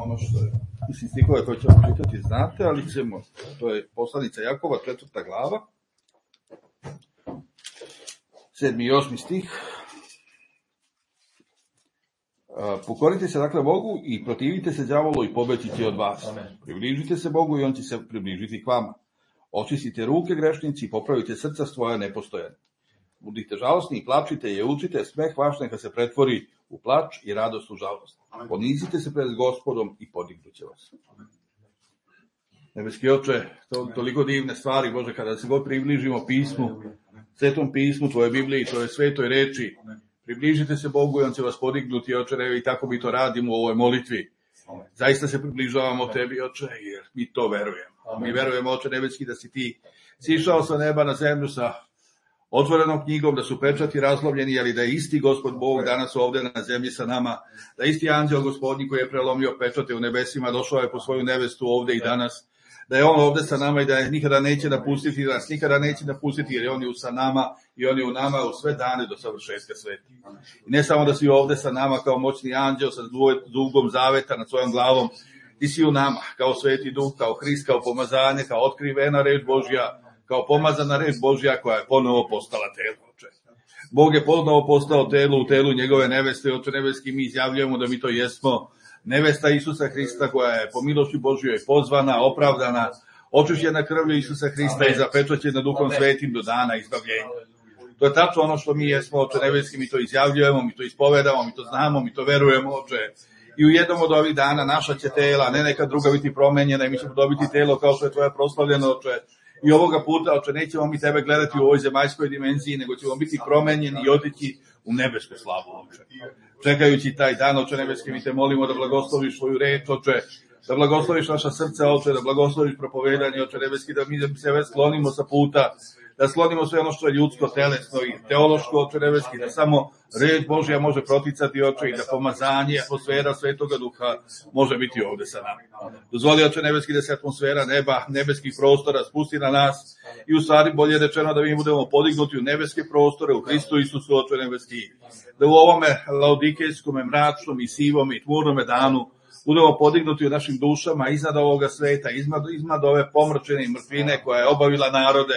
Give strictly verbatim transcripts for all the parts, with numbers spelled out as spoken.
ono što je, mislim, stihove koje ćemo čitati znate, ali ćemo, to je poslanica Jakova, četvrta glava, sedmi i osmi stih. Pokorite se dakle Bogu i protivite se đavolu i pobeći će od vas. Amen. Približite se Bogu i on će se približiti k vama. Očistite ruke grešnici i popravite srca svoja nepostojanja. Budite žalosni i plačite i učite, smeh vaš neka se pretvori u plač i radost u žalost. Ponizite se pred Gospodom i podignuće vas. Amen. Nebeski Oče, to, toliko divne stvari, Bože, kada se god približimo pismu, Svetom pismu, Tvoje Bibliji, Tvoje svetoj reči, približite se Bogu i on će vas podignuti, Oče, i tako mi to radimo u ovoj molitvi. Zaista se približavamo Tebi, Oče, jer mi to verujemo. Mi verujemo, Oče nebeski, da si Ti sišao sa neba na zemlju sa otvorenom knjigom, da su pečati razlomljeni, ali da je isti Gospod Bog danas ovde na zemlji sa nama, da isti anđeo Gospodnji koji je prelomio pečate u nebesima, došao je po svoju nevestu ovde i danas, da je on ovde sa nama i da je nikada neće napustiti, da nas nikada neće napustiti, jer je on je sa nama i on je u nama u sve dane do savršetka sveta. I ne samo da si ovde sa nama kao moćni anđeo sa dugom zaveta nad svojom glavom, ti si u nama kao Sveti Duh, kao Hrist, kao pomazanje, kao otkrivena reč Božja, kao pomazana reč Božja koja je ponovo postala telo, Oče. Bog je ponovo postao telo u telu njegove neveste, Oče nebeski, mi izjavljujemo da mi to jesmo. Nevesta Isusa Hrista koja je po milosti Božjoj pozvana, opravdana, očišćena krvlju Isusa Hrista i zapečaćena Duhom Svetim do dana izbavljenja. To je tačno ono što mi jesmo, Oče nebeski, mi to izjavljujemo, mi to ispovedamo, mi to znamo, mi to verujemo, Oče. I u jednom od ovih dana naša će tela, ne neka druga biti promenjena i mi ćemo dobiti telo kao što je Tvoje proslavljeno, Oče. I ovoga puta, Oče, nećemo mi Tebe gledati u ovoj zemaljskoj dimenziji, nego ćemo biti promenjeni i otići u nebesku slavu, Oče. Čekajući taj dan, Oče nebeski, mi Te molimo da blagosloviš svoju reč, Oče, da blagosloviš naša srca, Oče, da blagosloviš propovedanje, Oče nebeski, da mi se sklonimo sa puta, da sklonimo sve ono što je ljudsko, telesno i teološko, Oče nebeski, da samo reč Božja može proticati, Oče, i da pomazanje, atmosfera Svetoga Duha može biti ovde sa nama. Dozvoli, Oče nebeski, da se atmosfera neba, nebeskih prostora spusti na nas i u stvari bolje rečeno da mi budemo podignuti u nebeske prostore, u Hristu Isusu, Oče nebeski, da u ovome laodikejskom, mračnom i sivom i tmurnome danu budemo podignuti u našim dušama iznad ovoga sveta, iznad, iznad ove pomrčene mrtvine koja je obavila narode,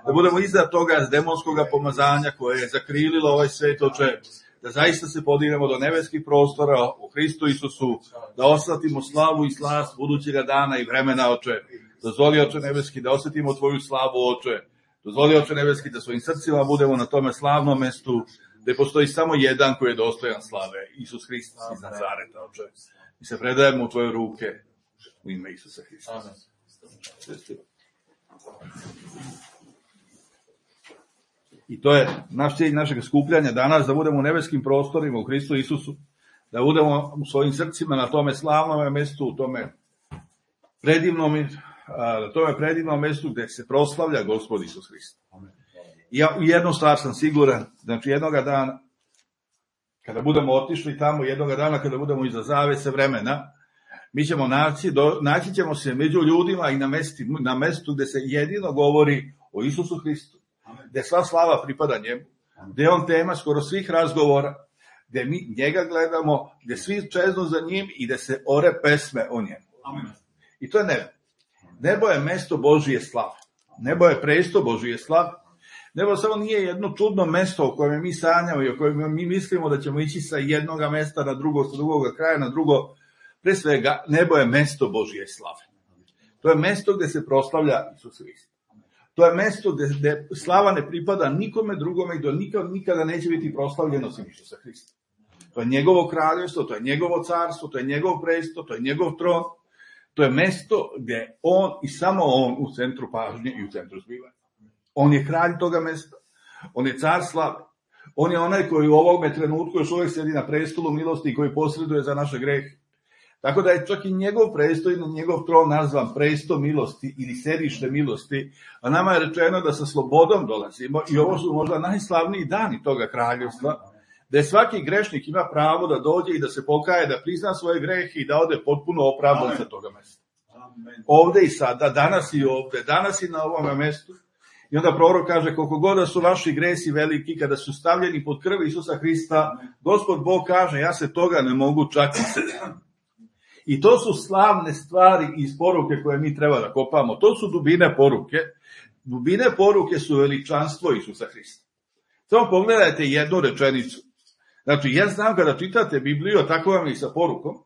da budemo iznad toga demonskog pomazanja koje je zakrililo ovaj svet, Oče, da zaista se podignemo do nebeskih prostora u Hristu Isusu, da osjetimo slavu i slast budućega dana i vremena, Oče. Dozvoli, Oče nebeski, da osjetimo Tvoju slavu, Oče. Dozvoli, Oče nebeski, da svojim srcima budemo na tome slavnom mestu, gde postoji samo jedan koji je dostojan slave, Isus Hrist iz Nazareta, Oče. I se predajemo u Tvoje ruke u ime Isusa Hrista. Amen. I to je naš cilj našeg skupljanja danas, da budemo u nebeskim prostorima u Hristu Isusu, da budemo u svojim srcima na tome slavnom mestu, u tome predivnom, na tome predivnom mestu gde se proslavlja Gospod Isus Hrist. I ja u jednu stvar sam siguran, znači jednoga dana, kada budemo otišli tamo, jednoga dana kada budemo iza zavese vremena, mi ćemo naći, do, naći ćemo se među ljudima i na, mesti, na mestu gde se jedino govori o Isusu Hristu, gde sva slava pripada njemu, gde je on tema skoro svih razgovora, gde mi njega gledamo, gde svi čeznu za njim i gde se ore pesme o njemu. I to je nebo. Nebo je mesto Božije slave. Nebo je presto Božije slave. Nebo samo nije jedno čudno mesto u kojem mi sanjamo i u kojem mi mislimo da ćemo ići sa jednog mesta na drugo, sa drugog kraja na drugo. Pre svega, nebo je mesto Božije slave. To je mesto gde se proslavlja Isus Hrist. To je mesto gde, gde slava ne pripada nikome drugome i do nikada, nikada neće biti proslavljeno osim Isusa Hrista. To je njegovo kraljevstvo, to je njegovo carstvo, to je njegov presto, to je njegov tron. To je mesto gde on i samo on u centru pažnje i u centru zbivanja. On je kralj toga mesta, on je car slave, on je onaj koji u ovome trenutku još uvijek sedi na prestolu milosti i koji posreduje za naše grehe. Tako da je čak i njegov presto i njegov tron nazvan presto milosti ili sedište milosti, a nama je rečeno da sa slobodom dolazimo i ovo su možda najslavniji dani toga kraljevstva, da je svaki grešnik ima pravo da dođe i da se pokaje, da prizna svoje grehe i da ode potpuno opravdan sa toga mesta. Ovde i sada, danas i ovde, danas i na ovome mestu. I onda prorok kaže, koliko god da su vaši gresi veliki, kada su stavljeni pod krv Isusa Hrista, Gospod Bog kaže, ja se toga ne mogu čak i sjetiti. I to su slavne stvari iz poruke koje mi treba da kopamo. To su dubine poruke. Dubine poruke su veličanstvo Isusa Hrista. Samo pogledajte jednu rečenicu. Znači, ja znam kada čitate Bibliju, tako vam i sa porukom,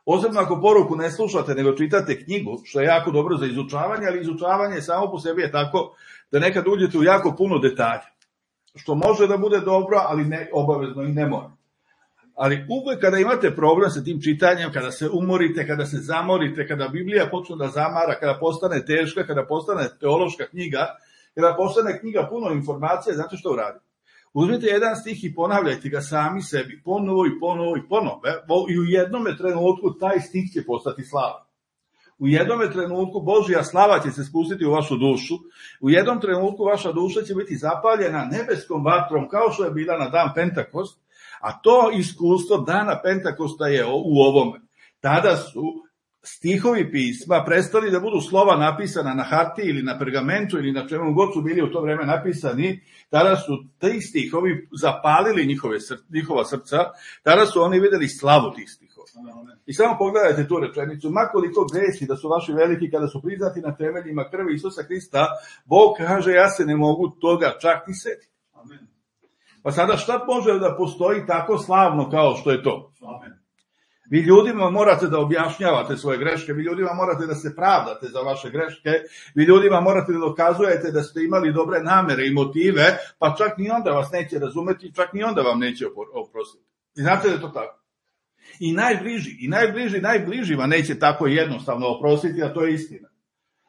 posebno ako poruku ne slušate, nego čitate knjigu, što je jako dobro za izučavanje, ali izučavanje samo po sebi je tako da nekad uđete u jako puno detalja. Što može da bude dobro, ali ne obavezno i ne mora. Ali uvek kada imate problem sa tim čitanjem, kada se umorite, kada se zamorite, kada Biblija počne da zamara, kada postane teška, kada postane teološka knjiga, kada postane knjiga puno informacija, znate što uradite? Uzmite jedan stih i ponavljajte ga sami sebi, ponovo i ponovo i ponovo, i u jednome trenutku taj stih će postati slavan. U jednome trenutku Božja slava će se spustiti u vašu dušu, u jednom trenutku vaša duša će biti zapaljena nebeskom vatrom, kao što je bila na dan Pentakost, a to iskustvo dana Pentakosta je u ovome. Tada su stihovi pisma prestali da budu slova napisana na hartiji ili na pergamentu ili na čemu god su bili u to vreme napisani, tada su ti stihovi zapalili njihove, njihova srca, tada su oni videli slavu tih stihova. I samo pogledajte tu rečenicu, makoliko gresi da su vaši veliki kada su priznati na temeljima krvi Isusa Hrista, Bog kaže ja se ne mogu toga čak ni setiti. Pa sada šta može da postoji tako slavno kao što je to? Amen. Vi ljudima morate da objašnjavate svoje greške, vi ljudima morate da se pravdate za vaše greške, vi ljudima morate da dokazujete da ste imali dobre namere i motive, pa čak ni onda vas neće razumeti, čak ni onda vam neće oprostiti. I znate da je to tako? I najbliži, i najbliži, najbližima neće tako jednostavno oprostiti, a to je istina.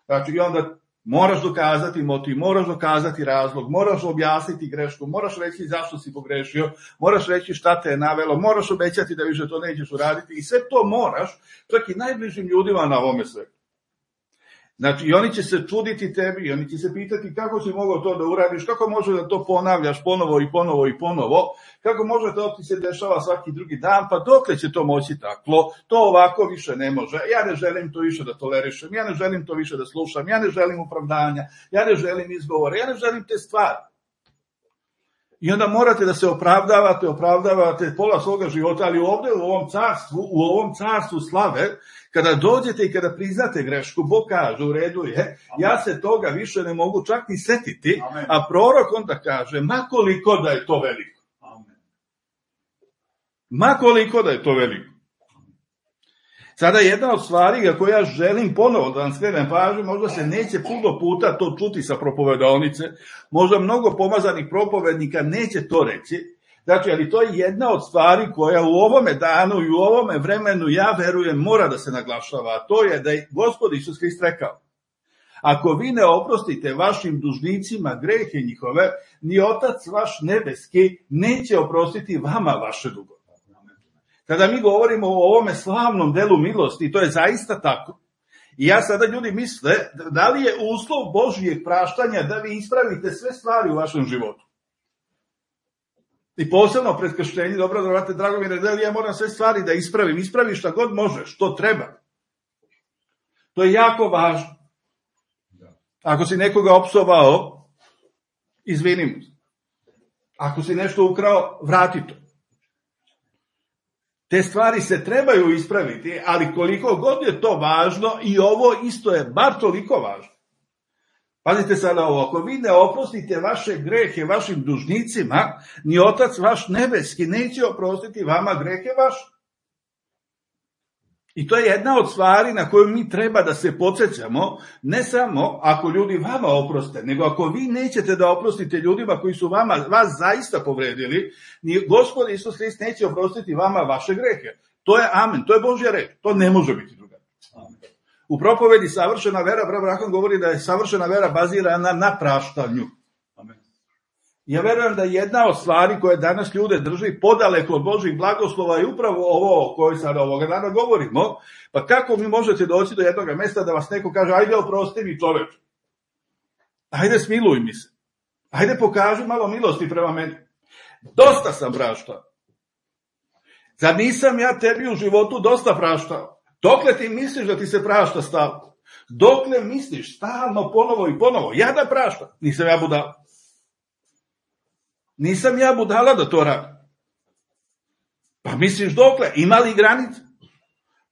Znači, i onda moraš dokazati motiv, moraš dokazati razlog, moraš objasniti grešku, moraš reći zašto si pogrešio, moraš reći šta te je navelo, moraš obećati da više to nećeš uraditi i sve to moraš, čak i najbližim ljudima na ovome svetu. Znači, i oni će se čuditi tebi, i oni će se pitati kako si mogao to da uradiš, kako može da to ponavljaš ponovo i ponovo i ponovo, kako može to ti se dešava svaki drugi dan, pa dokle će to moći tako, to ovako više ne može, ja ne želim to više da tolerišem, ja ne želim to više da slušam, ja ne želim opravdanja, ja ne želim izgovore, ja ne želim te stvari. I onda morate da se opravdavate, opravdavate pola svoga života, ali ovde u ovom carstvu, u ovom carstvu slave, kada dođete i kada priznate grešku, Bog kaže, u redu je, ja se toga više ne mogu čak ni setiti, Amen. A prorok onda kaže, ma koliko da je to veliko. Amen. Ma koliko da je to veliko. Sada jedna od stvari koju ja želim ponovo da vam skrenem pažnju, možda se neće puno puta to čuti sa propovedonice, možda mnogo pomazanih propovednika neće to reći, znači, ali to je jedna od stvari koja u ovome danu i u ovome vremenu, ja verujem, mora da se naglašava, a to je da je Gospod Isus Hrist rekao, ako vi ne oprostite vašim dužnicima grehe njihove, ni Otac vaš nebeski neće oprostiti vama vaše dugove. Kada mi govorimo o ovome slavnom delu milosti, to je zaista tako. I ja sada ljudi misle, da li je uslov Božijeg praštanja da vi ispravite sve stvari u vašem životu? I posebno pred krštenjem, dobro da vrate, drago mi je, da li ja moram sve stvari da ispravim, ispravi šta god možeš, što treba. To je jako važno. Ako si nekoga opsovao, izvini mu. Ako si nešto ukrao, vrati to. Te stvari se trebaju ispraviti, ali koliko god je to važno, i ovo isto je bar toliko važno. Pazite sada ovo, ako vi ne oprostite vaše grehe vašim dužnicima, ni Otac vaš nebeski neće oprostiti vama grehe vaše. I to je jedna od stvari na koju mi treba da se podsjećamo, ne samo ako ljudi vama oproste, nego ako vi nećete da oprostite ljudima koji su vama, vas zaista povredili, ni Gospod Isus Hrist neće oprostiti vama vaše grehe. To je amen, to je Božja reč, to ne može biti drugačije. U propovedi savršena vera, brat Brahman govori da je savršena vera bazirana na praštanju. Ja verujem da jedna od stvari koje danas ljude drži podaleko od Božjih blagoslova je upravo ovo o kojoj sada ovoga dana govorimo. Pa kako mi možete doći do jednog mesta da vas neko kaže, ajde oprosti mi čoveč, ajde smiluj mi se, ajde pokaži malo milosti prema meni. Dosta sam praštao. Zar nisam ja tebi u životu dosta praštao? Dokle ti misliš da ti se prašta stalno? Dokle misliš stalno ponovo i ponovo? Ja da praštam, nisam ja budala. Nisam ja budala da to radim. Pa misliš dokle? Ima li granice?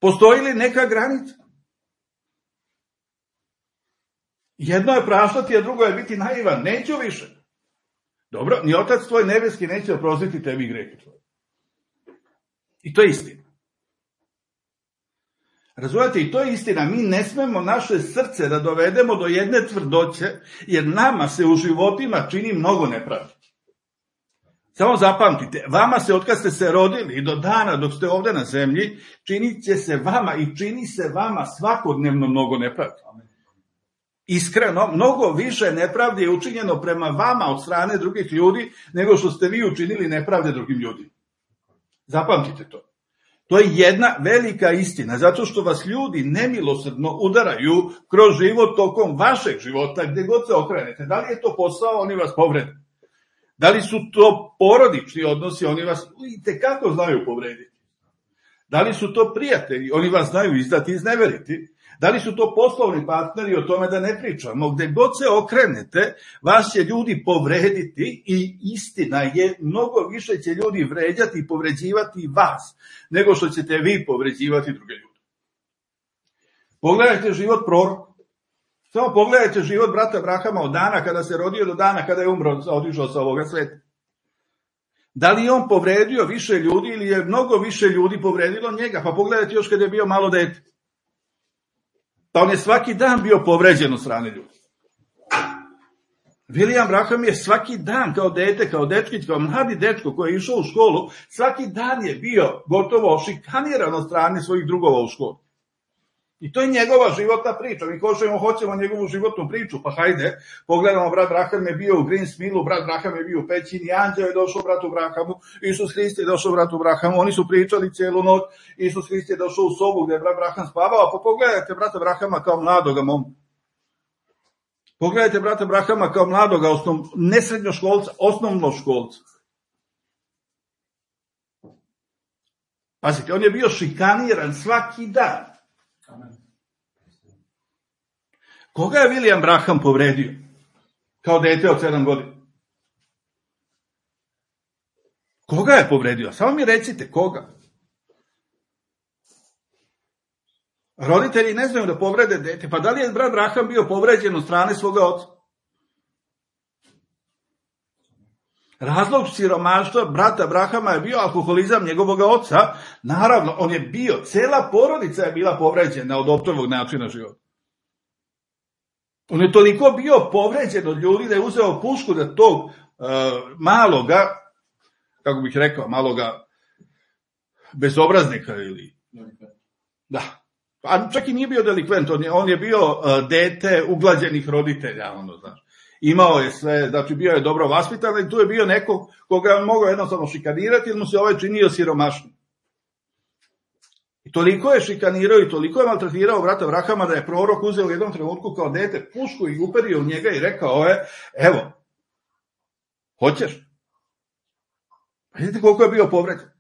Postoji li neka granica? Jedno je praštati, a drugo je biti naivan. Neću više. Dobro, ni Otac tvoj nebeski neće oprostiti tebi grehe tvoje. I to je istina. Razumijete, i to je istina. Mi ne smemo naše srce da dovedemo do jedne tvrdoće, jer nama se u životima čini mnogo nepravdi. Samo zapamtite, vama se, otkad ste se rodili i do dana dok ste ovdje na zemlji, činit će se vama i čini se vama svakodnevno mnogo nepravdi. Iskreno, mnogo više nepravdi je učinjeno prema vama od strane drugih ljudi, nego što ste vi učinili nepravde drugim ljudima. Zapamtite to. To je jedna velika istina, zato što vas ljudi nemilosrdno udaraju kroz život tokom vašeg života, gdje god se okrenete. Da li je to posao, oni vas povrede. Da li su to porodični odnosi, oni vas itekako znaju povrediti. Da li su to prijatelji, oni vas znaju izdati i izneveriti. Da li su to poslovni partneri, o tome da ne pričamo. Gdje god se okrenete, vas će ljudi povrediti i istina je, mnogo više će ljudi vređati i povređivati vas, nego što ćete vi povređivati druge ljude. Pogledajte život proroka. Samo pogledajte život brata Abrahama od dana kada se rodio do dana kada je umro, otišao sa ovoga sveta. Da li je on povredio više ljudi ili je mnogo više ljudi povredilo njega? Pa pogledajte još kada je bio malo dete. Pa on je svaki dan bio povređen od strane ljudi. William Branham je svaki dan kao dete, kao dečkić, kao mladi dečko koji je išao u školu, svaki dan je bio gotovo šikaniran od strane svojih drugova u školu. I to je njegova životna priča. Mi košemo, hoćemo njegovu životnu priču, pa hajde, pogledamo, brat Branham je bio u Greensmillu, brat Branham je bio u pećini, anđeo je došao bratu Branhamu, Isus Hrist je došao bratu Branhamu, oni su pričali cijelu noć, Isus Hrist je došao u sobu gdje je brat Branham spavao, pa pogledajte brata Branhama kao mladoga momka. Pogledajte brata Branhama kao mladoga, osnov, ne srednjoškolca, osnovnoškolca. Pazite, on je bio šikaniran svaki dan. Koga je William Branham povredio kao dete od sedam godina? Koga je povredio? Samo mi recite, koga? Roditelji ne znaju da povrede dete. Pa da li je brat Branham bio povređen od strane svoga oca? Razlog siromaštva brata Branhama je bio alkoholizam njegovog oca. Naravno, on je bio, cela porodica je bila povređena od optovog načina života. On je toliko bio povređen od ljudi da je uzeo pušku da tog uh, maloga, kako bih rekao, maloga bezobraznika ili... Da. A čak i nije bio delikvent, on je, on je bio uh, dete uglađenih roditelja, ono, znaš. Imao je sve, znači bio je dobro vaspitan i tu je bio neko koga je on mogao jednostavno šikanirati jer mu se ovaj činio siromašnim. I toliko je šikanirao i toliko je maltretirao brata Branhama da je prorok uzeo u jednom trenutku kao dete pušku i uperio u njega i rekao je, evo, hoćeš? Vidite koliko je bio povređen.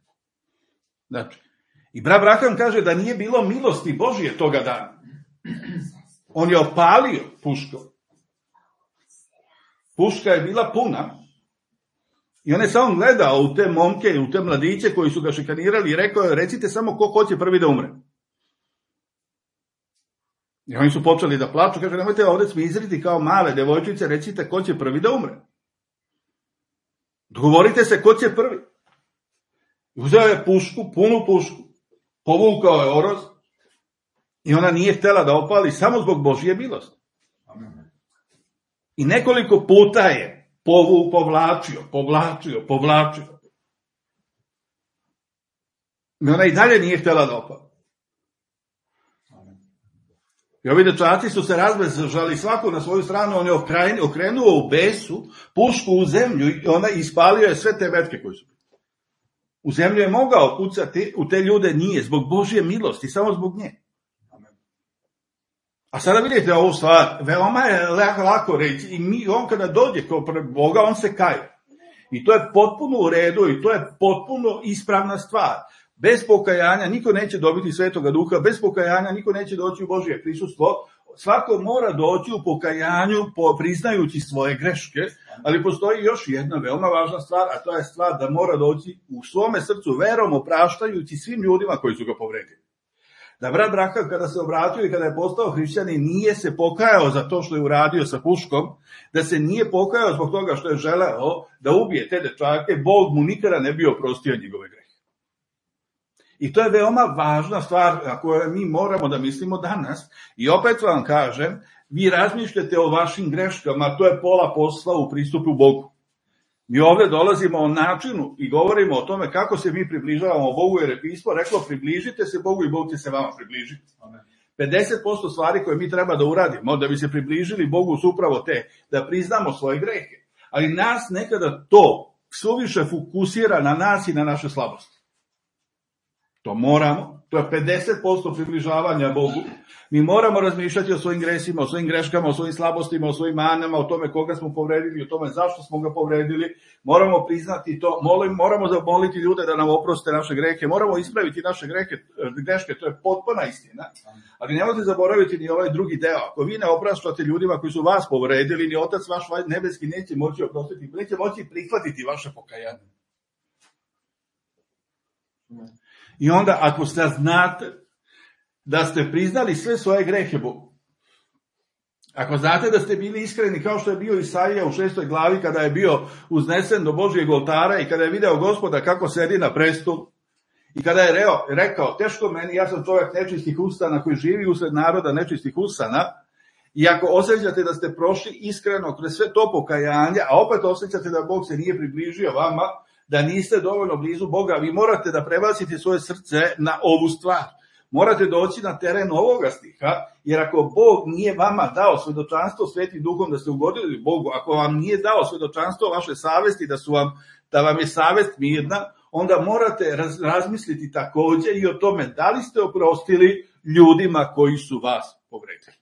Znači, i brat Branham kaže da nije bilo milosti Božije toga dana. On je opalio puškom. Puška je bila puna i on je samo gledao u te momke i u te mladiće koji su ga šikanirali i rekao je, recite samo ko hoće prvi da umre. I oni su počeli da plaču, kaže, nemojte ovdje smizriti kao male devojčice, recite ko će prvi da umre. Dogovorite se ko će prvi. Uzeo je pušku, punu pušku, povukao je oroz i ona nije htjela da opali samo zbog Božje milosti. I nekoliko puta je povu, povlačio, povlačio, povlačio. I ona i dalje nije htjela da opali. I ovi dečaci su se razbežali svako na svoju stranu, on je okrenuo u besu pušku u zemlju i ona ispalio je sve te metke koje su. U zemlju je mogao pucati, u te ljude nije, zbog Božje milosti, samo zbog nje. A sada vidite ovu stvar, veoma je lako reći i mi, on kada dođe kao pred Boga, on se kaje. I to je potpuno u redu i to je potpuno ispravna stvar. Bez pokajanja niko neće dobiti Svetoga Duha, bez pokajanja niko neće doći u Božje prisustvo. Svako mora doći u pokajanju priznajući svoje greške, ali postoji još jedna veoma važna stvar, a to je stvar da mora doći u svome srcu verom opraštajući svim ljudima koji su ga povredili. Da brat Braham kada se obratio i kada je postao hrišćanin nije se pokajao za to što je uradio sa puškom, da se nije pokajao zbog toga što je želeo da ubije te dečake, Bog mu nikada ne bi oprostio njegove grehe. I to je veoma važna stvar na kojoj mi moramo da mislimo danas. I opet vam kažem, vi razmišljate o vašim greškama, to je pola posla u pristupu Bogu. Mi ovdje dolazimo o načinu i govorimo o tome kako se mi približavamo Bogu, jer je pismo reklo približite se Bogu i Bog će se vama približiti. pedeset posto stvari koje mi treba da uradimo da bi se približili Bogu su upravo te, da priznamo svoje grehe. Ali nas nekada to suviše fokusira na nas i na naše slabosti. To moramo, to je pedeset posto približavanja Bogu. Mi moramo razmišljati o svojim gresima, o svojim greškama, o svojim slabostima, o svojim manama, o tome koga smo povredili, o tome zašto smo ga povredili. Moramo priznati to, moramo zamoliti ljude da nam oproste naše grehe, moramo ispraviti naše grehe, greške, to je potpuna istina. Ali nemojte zaboraviti ni ovaj drugi deo. Ako vi ne opraštate ljudima koji su vas povredili, ni Otac vaš nebeski neće moći oprostiti, neće moći prihvatiti vaše pokajanje. I onda ako ste znate da ste priznali sve svoje grehe Bogu, ako znate da ste bili iskreni kao što je bio Isaija u šestoj glavi kada je bio uznesen do Božijeg oltara i kada je video Gospoda kako sedi na prestolu i kada je reo, rekao teško meni, ja sam čovjek nečistih usana koji živi usred naroda nečistih usana, i ako osjećate da ste prošli iskreno kroz sve to pokajanje, a opet osjećate da Bog se nije približio vama, da niste dovoljno blizu Boga, vi morate da prebacite svoje srce na ovu stvar. Morate doći na teren ovoga stiha, jer ako Bog nije vama dao svedočanstvo Svetim Duhom da ste ugodili Bogu, ako vam nije dao svedočanstvo vaše savesti da, su vam, da vam je savest mirna, onda morate raz, razmisliti takođe i o tome da li ste oprostili ljudima koji su vas povredili.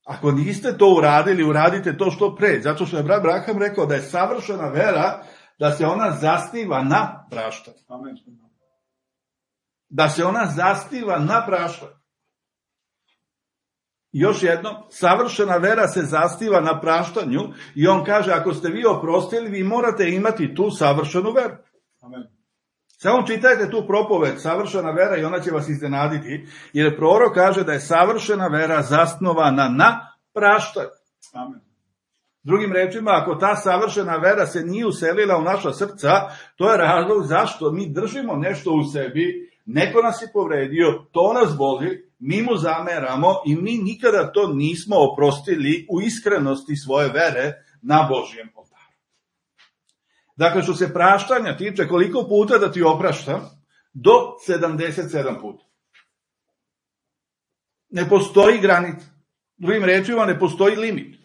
Ako niste to uradili, uradite to što pre, zato što je brat Braham rekao da je savršena vera, da se ona zasniva na praštanju. Amen. Da se ona zasniva na praštanju. Još jedno, savršena vera se zasniva na praštanju i on kaže, ako ste vi oprostili, vi morate imati tu savršenu veru. Amen. Samo čitajte tu propoved, savršena vera, i ona će vas iznenaditi, jer prorok kaže da je savršena vera zasnovana na praštanju. Amen. Drugim rečima, ako ta savršena vera se nije uselila u naša srca, to je razlog zašto mi držimo nešto u sebi, neko nas je povredio, to nas boli, mi mu zameramo i mi nikada to nismo oprostili u iskrenosti svoje vere na Božijem oltaru. Dakle, što se praštanja tiče, koliko puta da ti opraštam? Do sedamdeset sedam puta. Ne postoji granica. Drugim rečima, ne postoji limit.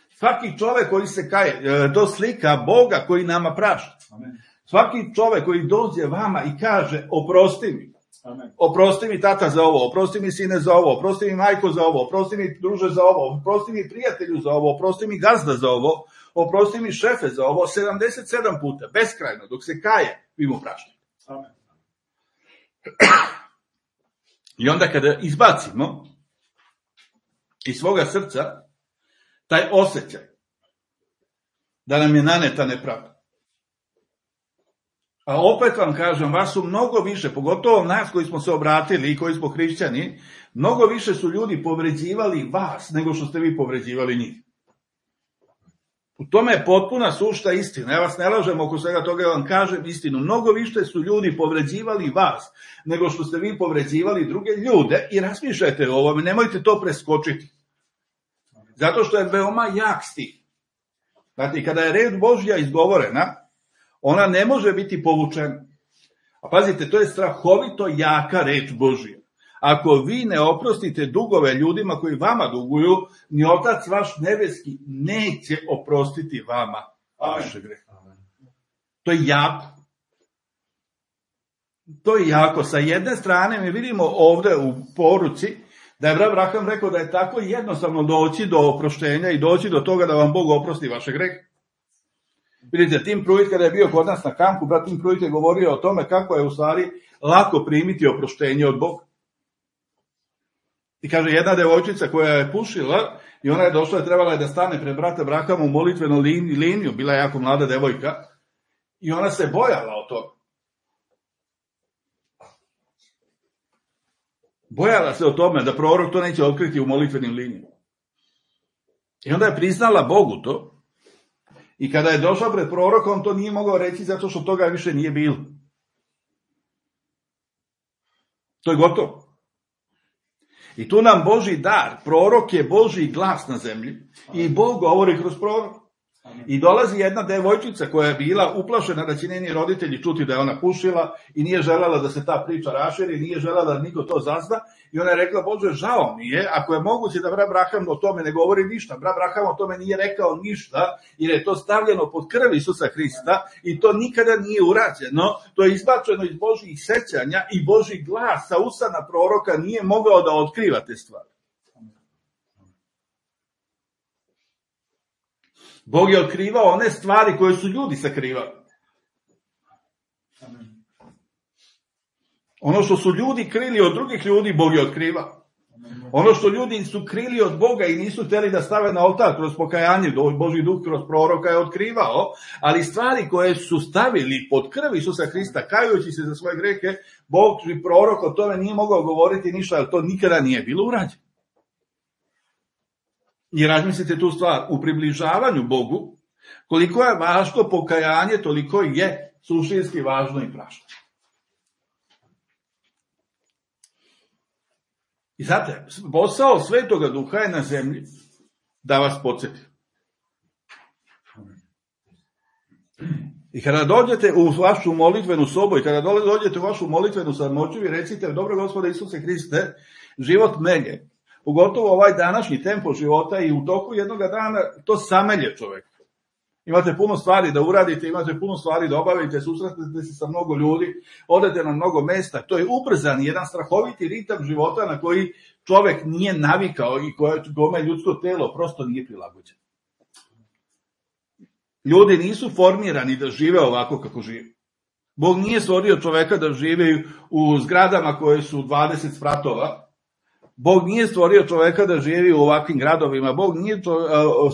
Svaki čovek koji se kaje, to slika Boga koji nama prašta. Amen. Svaki čovek koji dođe vama i kaže, oprosti mi. Amen. Oprosti mi tata za ovo, oprosti mi sine za ovo, oprosti mi majko za ovo, oprosti mi druže za ovo, oprosti mi prijatelju za ovo, oprosti mi gazda za ovo, oprosti mi šefe za ovo, sedamdeset sedam puta, beskrajno, dok se kaje, vi mu praštate. Amen. I onda kada izbacimo iz svoga srca taj osjećaj da nam je naneta nepravda. A opet vam kažem, vas su mnogo više, pogotovo nas koji smo se obratili i koji smo hrišćani, mnogo više su ljudi povređivali vas nego što ste vi povređivali njih. U tome je potpuna sušta istina. Ja vas ne lažem oko svega toga, ja vam kažem istinu. Mnogo više su ljudi povređivali vas nego što ste vi povređivali druge ljude i razmišljajte o ovome, nemojte to preskočiti. Zato što je veoma jak stih. Znači, kada je reč Božja izgovorena, ona ne može biti povučena. A pazite, to je strahovito jaka reč Božja. Ako vi ne oprostite dugove ljudima koji vama duguju, ni Otac vaš nebeski neće oprostiti vama vaše grehe. To je jako. To je jako. Sa jedne strane mi vidimo ovde u poruci da je brat Braham rekao da je tako jednostavno doći do oproštenja i doći do toga da vam Bog oprosti vaše grehe. Vidite, Tim Pruitt kada je bio kod nas na kampu, brat Tim Pruitt je govorio o tome kako je u stvari lako primiti oproštenje od Boga. I kaže, jedna devojčica koja je pušila i ona je došla i trebala je da stane pred brata Brahama u molitvenu liniju, bila je jako mlada devojka, i ona se bojala o toga. Bojala se o tome da prorok to neće otkriti u molitvenim linijama. I onda je priznala Bogu to. I kada je došla pred prorokom, to nije mogao reći zato što toga više nije bilo. To je gotovo. I tu nam Božji dar, prorok je Božji glas na zemlji i Bog govori kroz prorok. I dolazi jedna devojčica koja je bila uplašena da će njeni roditelji čuti da je ona pušila i nije željela da se ta priča raširi, nije željela da niko to zazna i ona je rekla, Bože, žao mi je, ako je moguće da brat Braham o tome ne govori ništa, brat Braham o tome nije rekao ništa, jer je to stavljeno pod krv Isusa Hrista i to nikada nije urađeno, to je izbačeno iz Božjih sećanja i Božji glas sa usana proroka nije mogao da otkriva te stvari. Bog je otkrivao one stvari koje su ljudi sakrivali. Ono što su ljudi krili od drugih ljudi, Bog je otkrivao. Ono što ljudi su krili od Boga i nisu htjeli da stave na oltar kroz pokajanje, Božji duh kroz proroka je otkrivao, ali stvari koje su stavili pod krv Isusa Hrista, kajući se za svoje grehe, Bog i prorok o tome nije mogao govoriti ništa, jer to nikada nije bilo urađeno. I razmislite tu stvar, u približavanju Bogu, koliko je važno pokajanje, toliko je suštinski važno i prašno. I znate, posao Svetoga Duha je na zemlji da vas podsjeti. I kada dođete u vašu molitvenu sobu i kada dođete u vašu molitvenu samoću i recite, dobro Gospode Isuse Hriste, život mene, pogotovo ovaj današnji tempo života i u toku jednoga dana, to samelje čovjeka. Imate puno stvari da uradite, imate puno stvari da obavite, susretnete se sa mnogo ljudi, odete na mnogo mesta. To je ubrzan, jedan strahoviti ritam života na koji čovjek nije navikao i kome ljudsko telo prosto nije prilagođeno. Ljudi nisu formirani da žive ovako kako žive. Bog nije stvorio čoveka da žive u zgradama koje su dvadeset spratova. Bog nije stvorio čoveka da živi u ovakvim gradovima, Bog nije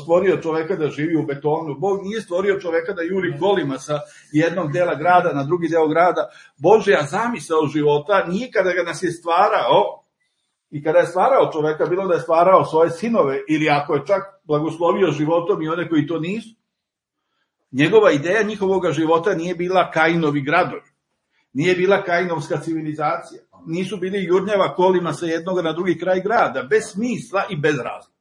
stvorio čoveka da živi u betonu, Bog nije stvorio čoveka da juri kolima sa jednog dela grada na drugi deo grada. Božja zamisao života nije kada ga nas je stvarao i kada je stvarao čoveka, bilo da je stvarao svoje sinove ili ako je čak blagoslovio životom i one koji to nisu. Njegova ideja njihovog života nije bila Kainovi gradovi, nije bila Kainovska civilizacija. Nisu bili jurnjava kolima sa jednog na drugi kraj grada, bez smisla i bez razloga.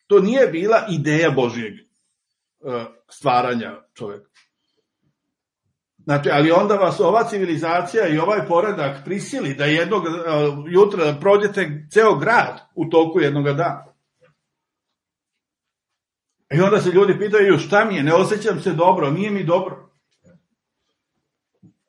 To nije bila ideja Božjeg stvaranja čovjeka. Znači, ali onda vas ova civilizacija i ovaj poredak prisili da jednog jutra prođete ceo grad u toku jednog dana. I onda se ljudi pitaju, šta mi je, ne osjećam se dobro, nije mi dobro.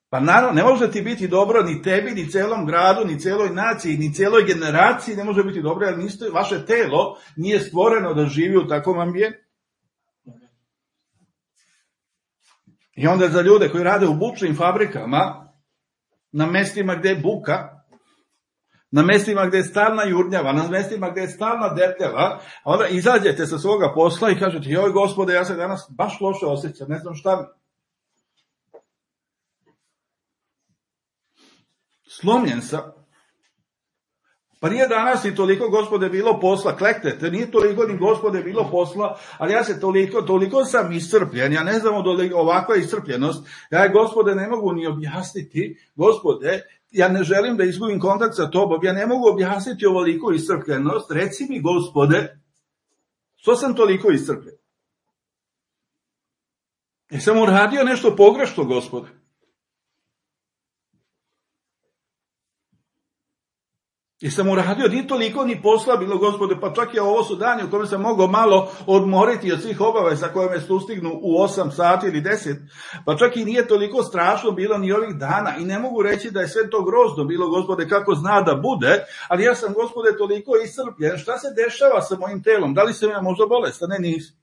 Pa naravno, ne može ti biti dobro ni tebi, ni celom gradu, ni celoj naciji, ni celoj generaciji ne može biti dobro, jer niste, vaše telo nije stvoreno da živi u takvom ambijentu. I onda za ljude koji rade u bučnim fabrikama, na mestima gde je buka, na mestima gde je stalna jurnjava, na mestima gde je stalna detljava, onda izađete sa svoga posla i kažete, joj Gospode, ja se danas baš loše osjećam, ne znam šta mi. Slomljen sam. Pa nije danas ni toliko, Gospode, bilo posla, kleknete, nije toliko ni, Gospode, bilo posla, ali ja se toliko, toliko sam iscrpljen, ja ne znam od ovakva iscrpljenost, ja, Gospode, ne mogu ni objasniti, Gospode, ja ne želim da izgubim kontakt sa tobom, ja ne mogu objasniti ovoliku iscrpljenost, reci mi, Gospode, što sam toliko iscrpljen? Jesam uradio nešto pogrešno, Gospode? Jesam uradio, nije toliko ni posla bilo, Gospode, pa čak i ovo su dani u kome sam mogao malo odmoriti od svih obaveza koje me sustignu u osam sati ili deset, pa čak i nije toliko strašno bilo ni ovih dana i ne mogu reći da je sve to grozno bilo, Gospode, kako zna da bude, ali ja sam, Gospode, toliko iscrpljen, šta se dešava sa mojim telom, da li sam ja možda bolestan? Ne, nisam.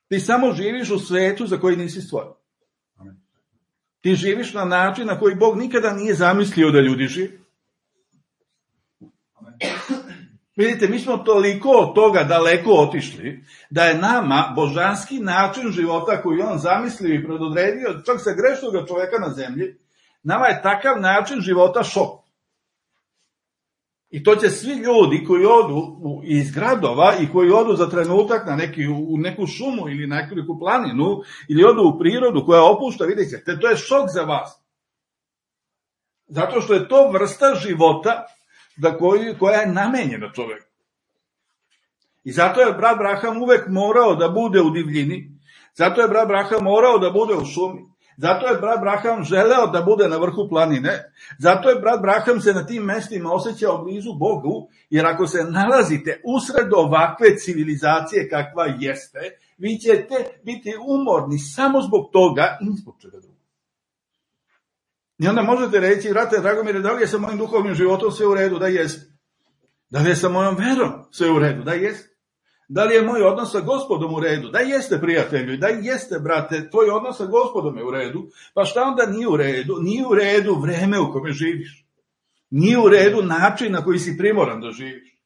Ti samo živiš u svetu za koji nisi stvoren. Ti živiš na način na koji Bog nikada nije zamislio da ljudi živi. Vidite, mi smo toliko od toga daleko otišli, da je nama božanski način života koji on zamislio i predodredio, čak sa grešnog čoveka na zemlji, Nama je takav način života šok. I to će svi ljudi koji odu iz gradova i koji odu za trenutak na neki, u neku šumu ili na neku planinu ili odu u prirodu koja opušta, vidite, to je šok za vas. Zato što je to vrsta života da koji, koja je namenjena čoveku. I zato je brat Braham uvek morao da bude u divljini, zato je brat Braham morao da bude u šumi, zato je brat Braham želeo da bude na vrhu planine, zato je brat Braham se na tim mestima osjećao blizu Bogu, jer ako se nalazite usred ovakve civilizacije kakva jeste, vi ćete biti umorni samo zbog toga i zbog čega drugo. I onda možete reći, brate Dragomire, da li je sa mojim duhovnim životom sve u redu? Da jeste. Da li je sa mojom verom sve u redu? Da jeste. Da li je moj odnos sa Gospodom u redu? Da jeste, prijatelju, da jeste, brate, tvoj odnos sa Gospodom je u redu. Pa šta onda nije u redu? Nije u redu vreme u kome živiš. Nije u redu način na koji si primoran da živiš.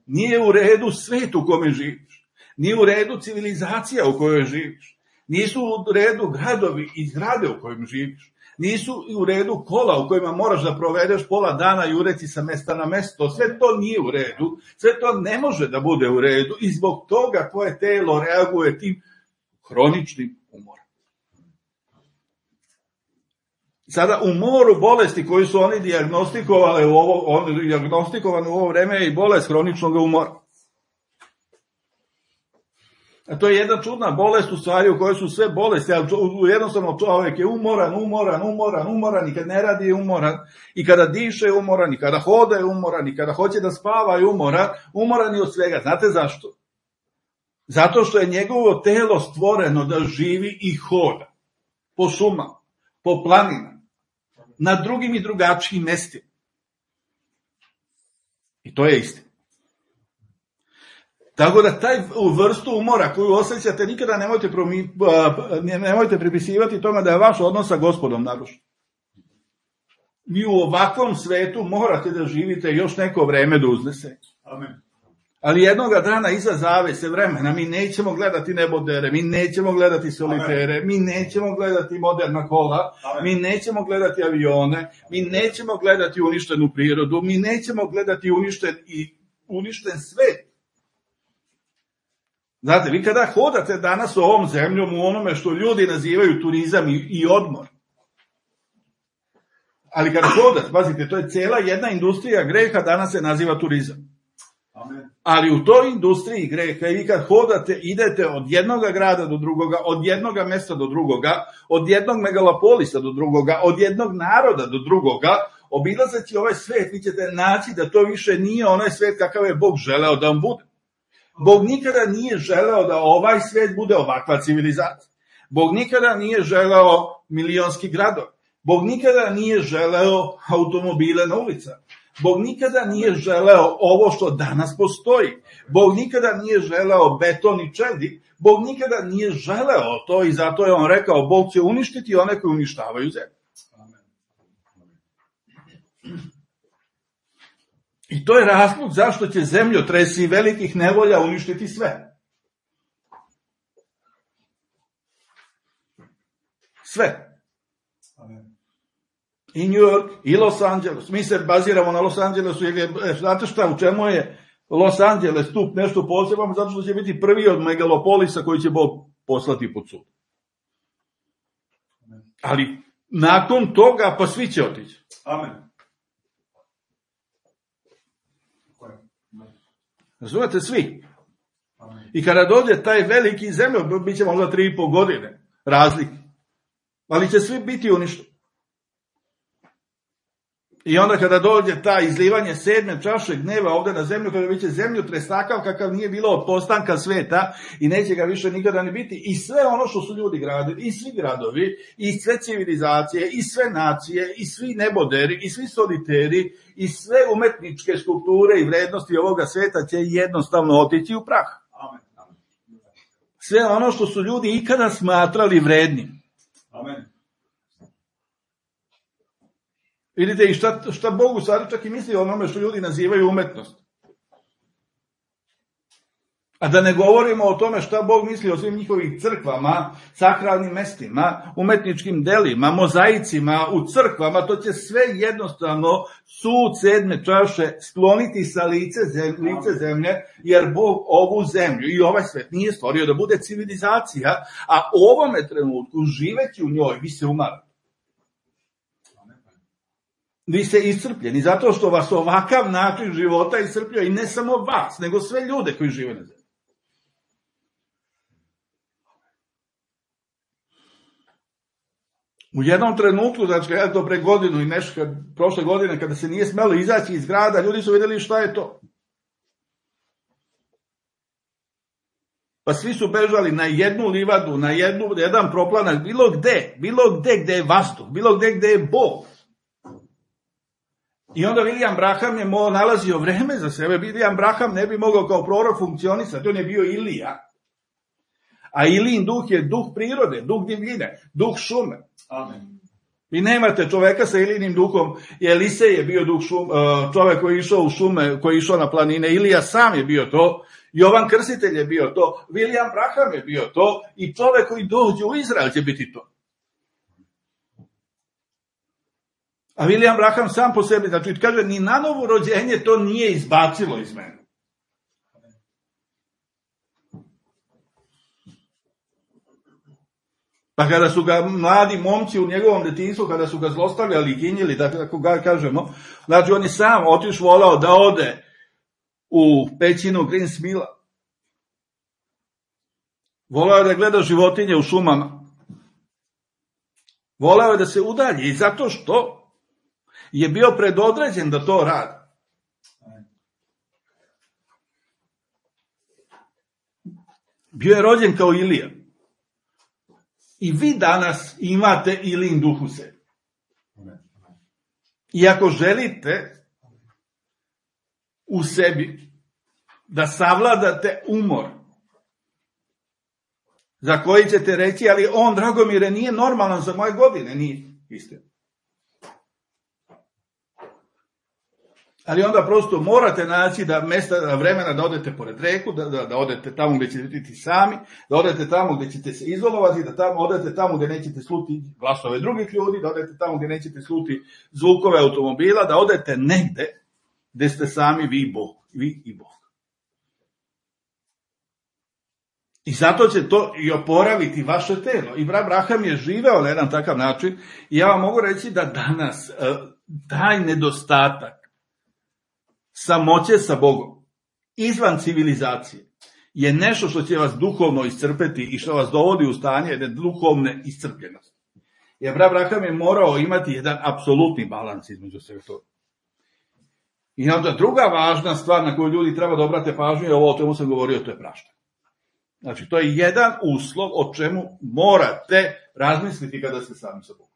Nije u redu svet u kome živiš. Nije u redu civilizacija u kojoj živiš. Nisu u redu gradovi i zgrade u kojim živiš. Nisu u redu kola u kojima moraš da provedeš pola dana jureći sa mesta na mesto. Sve to nije u redu. Sve to ne može da bude u redu i zbog toga tvoje telo reaguje tim hroničnim umorom. Sada u moru bolesti koju su oni dijagnostikovali u ovo, on, dijagnostikovani u ovo vreme je i bolest hroničnog umora. A to je jedna čudna bolest u stvari u kojoj su sve bolesti, ali jednostavno čovjek je umoran, umoran, umoran, umoran i kad ne radi je umoran, i kada diše je umoran, i kada hoda je umoran, i kada hoće da spava je umoran, umoran je od svega. Znate zašto? Zato što je njegovo telo stvoreno da živi i hoda po šumama, po planinama, na drugim i drugačijim mestima. I to je istina. Tako da taj vrstu umora koju osjećate nikada nemojte, promi, nemojte pripisivati tome da je vaš odnos sa Gospodom narušen. Vi u ovakvom svetu morate da živite još neko vreme da uznese. Amen. Ali jednoga dana iza zavese vremena mi nećemo gledati nebodere, mi nećemo gledati solitere, Amen. Mi nećemo gledati moderna kola, Amen. Mi nećemo gledati avione, mi nećemo gledati uništenu prirodu, mi nećemo gledati uništen, i, uništen svet. Znate, vi kada hodate danas ovom zemljom u onome što ljudi nazivaju turizam i, i odmor, ali kada hodate, pazite, to je cela jedna industrija greha, danas se naziva turizam. Amen. Ali u toj industriji greha i vi kad hodate, idete od jednoga grada do drugoga, od jednoga mesta do drugoga, od jednog megalopolisa do drugoga, od jednog naroda do drugoga, obilazeći ovaj svet, vi ćete naći da to više nije onaj svet kakav je Bog želeo da vam bude. Bog nikada nije želeo da ovaj svet bude ovakva civilizacija. Bog nikada nije želeo milionski gradov. Bog nikada nije želeo automobile na ulicama. Bog nikada nije želeo ovo što danas postoji. Bog nikada nije želeo beton i čelik. Bog nikada nije želeo to i zato je on rekao Bog će uništiti one koji uništavaju zemlju. I to je razlog zašto će zemljotresi velikih nevolja uništiti sve. Sve. I New York, i Los Angeles. Mi se baziramo na Los Angelesu, jer je, znate šta, u čemu je Los Angeles stup nešto posebno, zato što će biti prvi od megalopolisa koji će Bog poslati pod sud. Ali nakon toga, pa svi će otići. Amen. Razumete, svi. I kada dođe taj veliki zemljo, bit će možda tri i po godine razlike. Ali će svi biti uništeni. I onda kada dođe ta izlivanje sedme čaše gneva ovde na zemlju, kada biće zemljotres takav kakav nije bilo od postanka sveta i neće ga više nikada ne biti, i sve ono što su ljudi gradili, i svi gradovi, i sve civilizacije, i sve nacije, i svi neboderi, i svi soliteri, i sve umetničke skulpture i vrednosti ovoga sveta će jednostavno otići u prah. Sve ono što su ljudi ikada smatrali vrednim. Amen. Vidite, i šta, šta Bog u stvari čak i misli o onome što ljudi nazivaju umetnost. A da ne govorimo o tome šta Bog misli o svim njihovih crkvama, sakralnim mestima, umetničkim delima, mozaicima, u crkvama, to će sve jednostavno sud sedme čaše skloniti sa lice zemlje, lice zemlje, jer Bog ovu zemlju i ovaj svet nije stvorio da bude civilizacija, a u ovome trenutku, živeći u njoj, vi se umarate. Vi ste iscrpljeni, zato što vas ovakav način života iscrpljuje, i ne samo vas, nego sve ljude koji žive na zemlji. U jednom trenutku, znači ja to pre godinu i nešto, kad, prošle godine, kada se nije smelo izaći iz grada, ljudi su vidjeli šta je to. Pa svi su bežali na jednu livadu, na jednu, jedan proplanak, bilo gde, bilo gde gde je vazduh, bilo gde gde je Bog. I onda William Branham je mo, nalazio vreme za sebe. William Branham ne bi mogao kao prorok funkcionisati, on je bio Ilija. A Ilijin duh je duh prirode, duh divljine, duh šume. Amen. Vi nemate čoveka sa Ilijinim duhom. Elisej je bio duh šum, čovek koji je išao u šume, koji je išao na planine. Ilija sam je bio to. Jovan Krstitelj je bio to. William Branham je bio to. I čovek koji dođe u Izrael će biti to. A William Branham sam po sebi, znači kaže, ni na novo rođenje to nije izbacilo iz mene. Pa kada su ga mladi momci u njegovom detinjstvu, kada su ga zlostavljali i ginjili, tako ga kažemo, znači on je sam otiš volao da ode u pećinu Greensmilla. Volao je da gleda životinje u šumama. Volao je da se udalji i zato što je bio predodređen da to radi. Bio je rođen kao Ilija. I vi danas imate Ilijin duh u sebi. I ako želite u sebi da savladate umor, za koji ćete reći, ali on, Dragomire, nije normalan za moje godine, nije istina. Ali onda prosto morate naći da mesta, da vremena da odete pored reku, da, da, da odete tamo gde ćete biti sami, da odete tamo gde ćete se izolovati, da tamo, odete tamo gde nećete sluti glasove drugih ljudi, da odete tamo gde nećete sluti zvukove automobila, da odete negde gde ste sami vi i Bog, vi i Bog. I zato će to i oporaviti vaše telo. I brat Branham je živeo na jedan takav način i ja vam mogu reći da danas taj nedostatak samoće sa Bogom, izvan civilizacije, je nešto što će vas duhovno iscrpeti i što vas dovodi u stanje jedne duhovne iscrpljenosti. Jer brat Branham je morao imati jedan apsolutni balans između svega toga. I onda druga važna stvar na koju ljudi treba da obrate pažnju je ovo o čemu sam govorio, to je praštanje. Znači, to je jedan uslov o čemu morate razmisliti kada ste sami sa Bogom.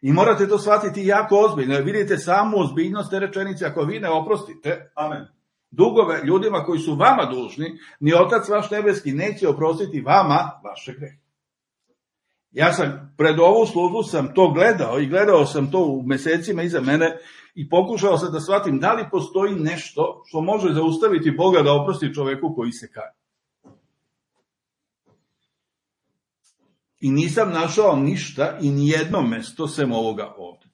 I morate to shvatiti jako ozbiljno. Vidite samu ozbiljnost te rečenice, ako vi ne oprostite Amen. dugove ljudima koji su vama dužni, ni Otac vaš nebeski neće oprostiti vama vaše grehe. Ja sam pred ovu službu sam to gledao i gledao sam to u mesecima iza mene i pokušao sam da shvatim da li postoji nešto što može zaustaviti Boga da oprosti čoveku koji se kaje. I nisam našao ništa i nijedno mesto sem ovoga ovde.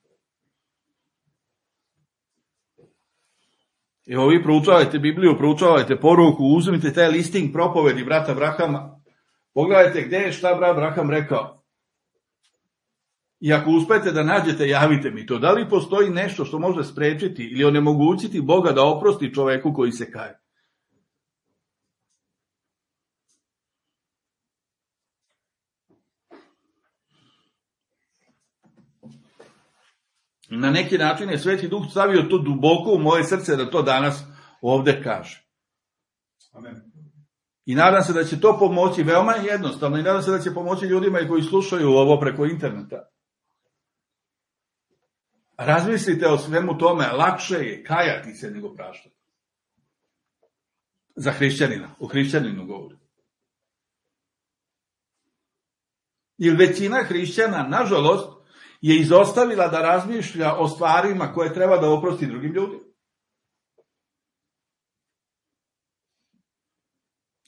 Evo vi proučavajte Bibliju, proučavajte poruku, uzmite taj listing propovedi brata Branhama, pogledajte gde je šta brat Branham rekao. I ako uspete da nađete, javite mi to. Da li postoji nešto što može sprečiti ili onemogućiti Boga da oprosti čoveku koji se kaje? Na neki način je Sveti Duh stavio to duboko u moje srce da to danas ovde kaže. Amen. I nadam se da će to pomoći, veoma jednostavno, i nadam se da će pomoći ljudima koji slušaju ovo preko interneta. Razmislite o svemu tome, lakše je kajati se nego praštati. Za hrišćanina, o hrišćaninu govorim. Jer većina hrišćana, nažalost, je izostavila da razmišlja o stvarima koje treba da oprosti drugim ljudima.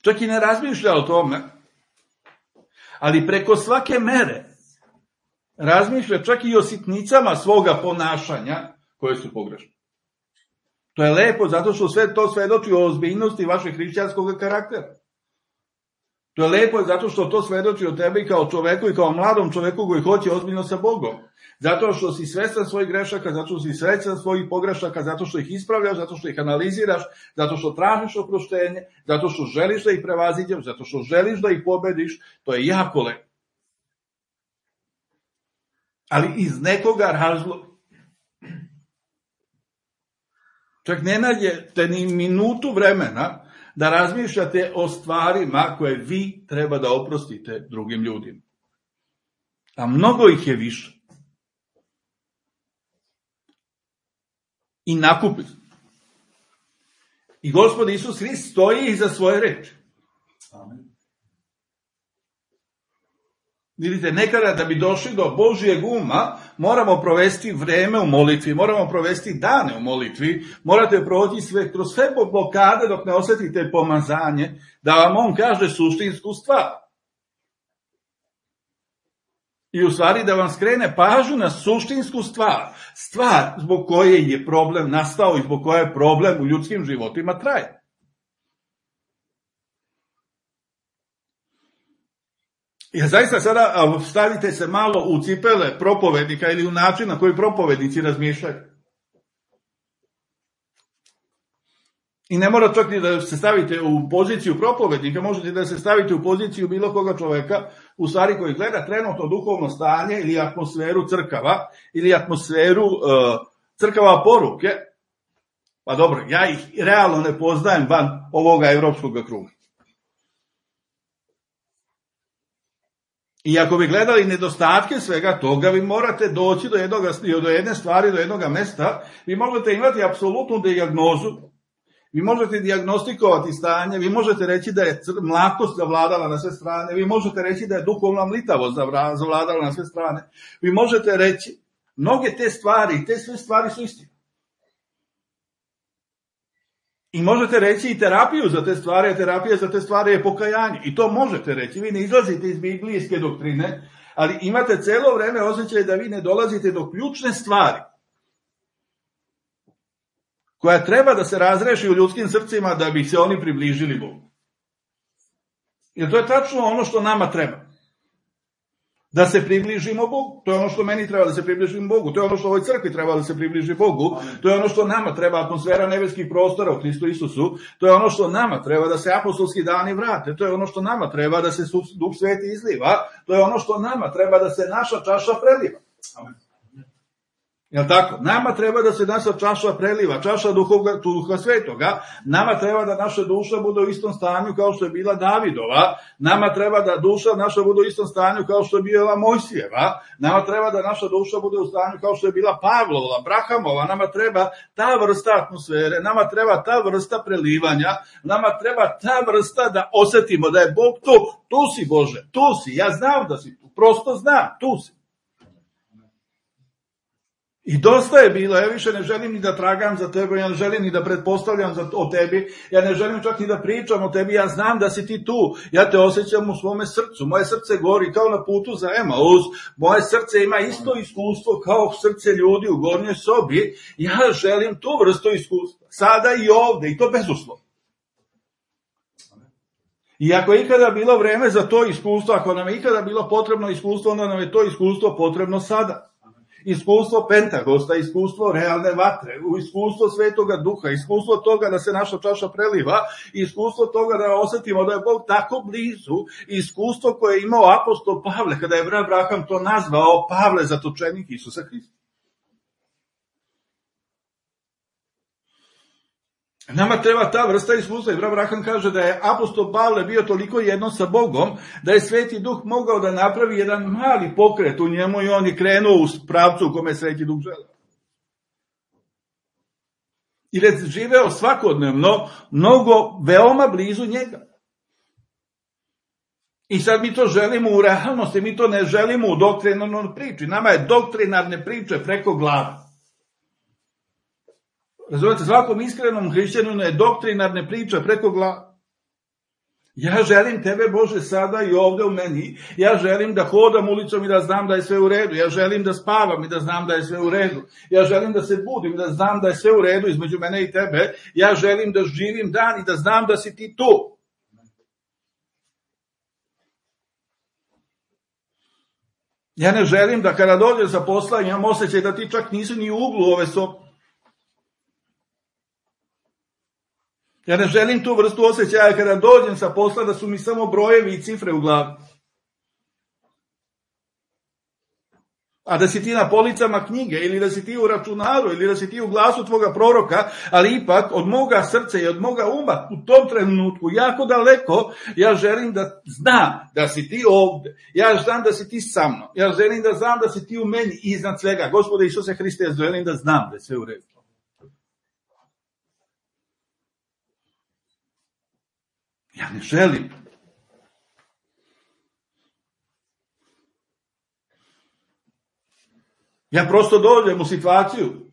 čak i ne razmišlja o tome, ali preko svake mere razmišlja čak i o sitnicama svoga ponašanja koje su pogrešne. To je lepo zato što sve to svedoči o ozbiljnosti vašeg hrišćanskog karaktera. To je lepo zato što to svedoči o tebi kao čoveku i kao mladom čoveku koji hoće ozbiljno sa Bogom. Zato što si svestan svojih grešaka, zato što si svestan svojih pogrešaka, zato što ih ispravljaš, zato što ih analiziraš, zato što tražiš oproštenje, zato što želiš da ih prevaziđeš, zato što želiš da ih pobediš. To je jako lepo. Ali iz nekoga razloga. Čak ne nađete ni minutu vremena da razmišljate o stvarima koje vi treba da oprostite drugim ljudima. A mnogo ih je više. I nakupi. I Gospod Isus Hrist stoji iza svoje reči. Amen. Vidite, nekada da bi došli do Božijeg uma, moramo provesti vreme u molitvi, moramo provesti dane u molitvi, morate proći sve, kroz sve blokade dok ne osjetite pomazanje, da vam on kaže suštinsku stvar. I u stvari da vam skrene pažnju na suštinsku stvar, stvar zbog koje je problem nastao i zbog koje je problem u ljudskim životima traje. Ja zaista sada stavite se malo u cipele propovednika ili u način na koji propovednici razmišljaju. I ne mora čak ni da se stavite u poziciju propovednika, možete da se stavite u poziciju bilo koga čoveka, u stvari koji gleda trenutno duhovno stanje ili atmosferu crkava, ili atmosferu uh, crkava poruke. Pa dobro, ja ih realno ne poznajem van ovoga evropskog kruga. I ako bi gledali nedostatke svega toga, vi morate doći do, jednog, do jedne stvari, do jednog mesta, vi možete imati apsolutnu dijagnozu, vi možete dijagnostikovati stanje, vi možete reći da je mlakost zavladala na sve strane, vi možete reći da je duhovna mlitavost zavladala na sve strane, vi možete reći, mnoge te stvari, te sve stvari su istine. I možete reći i terapiju za te stvari, a terapija za te stvari je pokajanje. I to možete reći. Vi ne izlazite iz biblijske doktrine, ali imate celo vreme osjećaj da vi ne dolazite do ključne stvari koja treba da se razreši u ljudskim srcima da bi se oni približili Bogu. Jer to je tačno ono što nama treba. Da se približimo Bogu. To je ono što meni treba da se približimo Bogu. To je ono što ovoj crkvi treba da se približi Bogu. To je ono što nama treba, atmosfera nebeskih prostora u Hristu Isusu. To je ono što nama treba da se apostolski dani vrate. To je ono što nama treba da se Duh Sveti izliva. To je ono što nama treba da se naša čaša preliva. Amen. Jel tako? Nama treba da se naša čaša preliva, čaša duha, duha svetoga, nama treba da naša duša bude u istom stanju kao što je bila Davidova, nama treba da duša naša bude u istom stanju kao što je bila Mojsijeva, nama treba da naša duša bude u stanju kao što je bila Pavlova, Abrahamova, nama treba ta vrsta atmosfere, nama treba ta vrsta prelivanja, nama treba ta vrsta da osjetimo da je Bog tu, tu si Bože, tu si, ja znam da si tu, prosto znam, tu si. I dosta je bilo, ja više ne želim ni da tragam za tebe, ja ne želim ni da pretpostavljam za, o tebi, ja ne želim čak ni da pričam o tebi, ja znam da si ti tu, ja te osjećam u svome srcu, moje srce gori kao na putu za Emaus, moje srce ima isto iskustvo kao srce ljudi u gornjoj sobi, ja želim tu vrstu iskustva, sada i ovde, i to bezuslovno. I ako je ikada bilo vreme za to iskustvo, ako nam je ikada bilo potrebno iskustvo, onda nam je to iskustvo potrebno sada. Iskustvo Pentakosta, iskustvo realne vatre, iskustvo Svetoga Duha, iskustvo toga da se naša čaša preliva, iskustvo toga da osjetimo da je Bog tako blizu, iskustvo koje je imao apostol Pavle, kada je Abraham to nazvao Pavle, zatočenik Isusa Hrista. Nama treba ta vrsta iskustva. I Abraham kaže da je apostol Pavle bio toliko jedno sa Bogom, da je Sveti Duh mogao da napravi jedan mali pokret u njemu i on je krenuo u pravcu u kome je Sveti Duh želeo. I da je živeo svakodnevno, mnogo, veoma blizu njega. I sad mi to želimo u realnosti, mi to ne želimo u doktrinarnoj priči. Nama je doktrinarne priče preko glave. Razumete, svakom iskrenom hrišćaninu je doktrinarne priče preko glave. Ja želim tebe, Bože, sada i ovdje u meni. Ja želim da hodam ulicom i da znam da je sve u redu. Ja želim da spavam i da znam da je sve u redu. Ja želim da se budim i da znam da je sve u redu između mene i tebe. Ja želim da živim dan i da znam da si ti tu. Ja ne želim da kada dođem sa posla imam osjećaj da ti čak nisi ni u uglu ove sobe. Ja ne želim tu vrstu osjećaja kada dođem sa posla da su mi samo brojevi i cifre u glavi. A da si ti na policama knjige, ili da si ti u računaru, ili da si ti u glasu tvoga proroka, ali ipak od moga srca i od moga uma u tom trenutku, jako daleko, ja želim da znam da si ti ovdje. Ja znam da si ti sa mnom. Ja želim da znam da si ti u meni iznad svega. Gospode Isuse Hriste, ja želim da znam da je sve u redu. Ja ne želim. Ja prosto dođem u situaciju.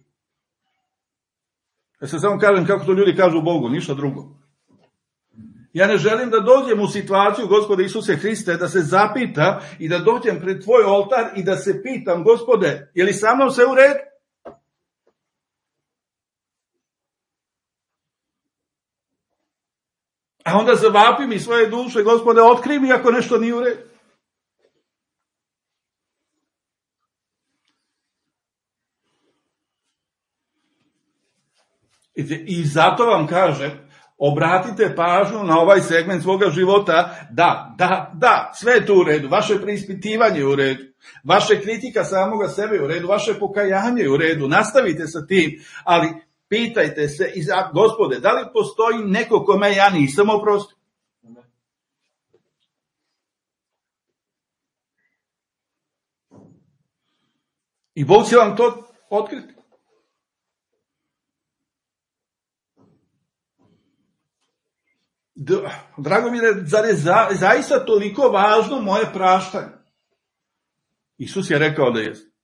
Ja se samo kažem kako to ljudi kažu Bogu, ništa drugo. Ja ne želim da dođem u situaciju, Gospode Isuse Hriste, da se zapita i da dođem pred tvoj oltar i da se pitam, Gospode, je li sa mnom sve u redu? A onda zavapim i svoje duše, Gospode, otkri mi ako nešto nije u redu. I zato vam kažem, obratite pažnju na ovaj segment svoga života, da, da, da, sve je tu u redu, vaše preispitivanje je u redu, vaše kritika samoga sebe je u redu, vaše pokajanje je u redu, nastavite sa tim, ali pitajte se, Gospode, da li postoji neko kome ja nisam oprostio? I Bog će vam to otkriti. Drago mi je, zar je za, zaista toliko važno moje praštanje? Isus je rekao da jest.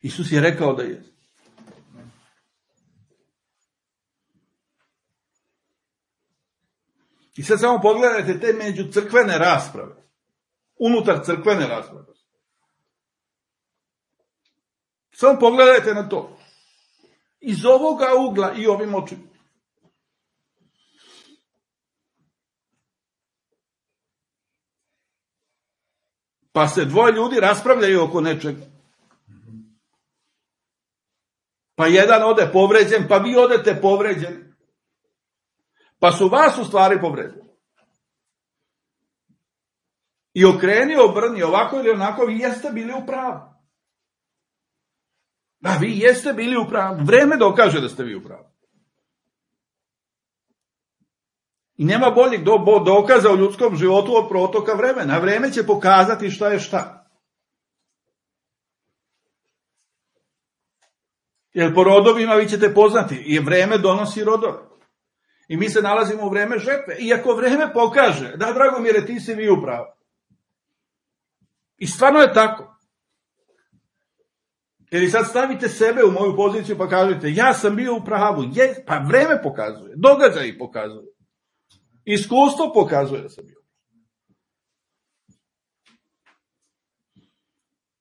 Isus je rekao da jest. I sad samo pogledajte te međucrkvene rasprave. Unutar crkvene rasprave. Samo pogledajte na to. Iz ovoga ugla i ovim očima. Pa se dvoje ljudi raspravljaju oko nečega. Pa jedan ode povređen, pa vi odete povređeni. Pa su vas u stvari povređeni. I okreni, obrni, ovako ili onako, vi jeste bili u pravu. Da, vi jeste bili u pravu. Vreme dokaže da ste vi u pravu. I nema boljeg do, bo, dokaza u ljudskom životu od protoka vremena. Vreme će pokazati šta je šta. Jer po rodovima vi ćete poznati. I vreme donosi rodove. I mi se nalazimo u vreme žetve. Iako vreme pokaže, da, Dragomire, ti si vi u pravu. I stvarno je tako. Jer sad stavite sebe u moju poziciju pa kažete, ja sam bio u pravu. Je, pa vreme pokazuje, događaji pokazuje. Iskustvo pokazuje da sam bio.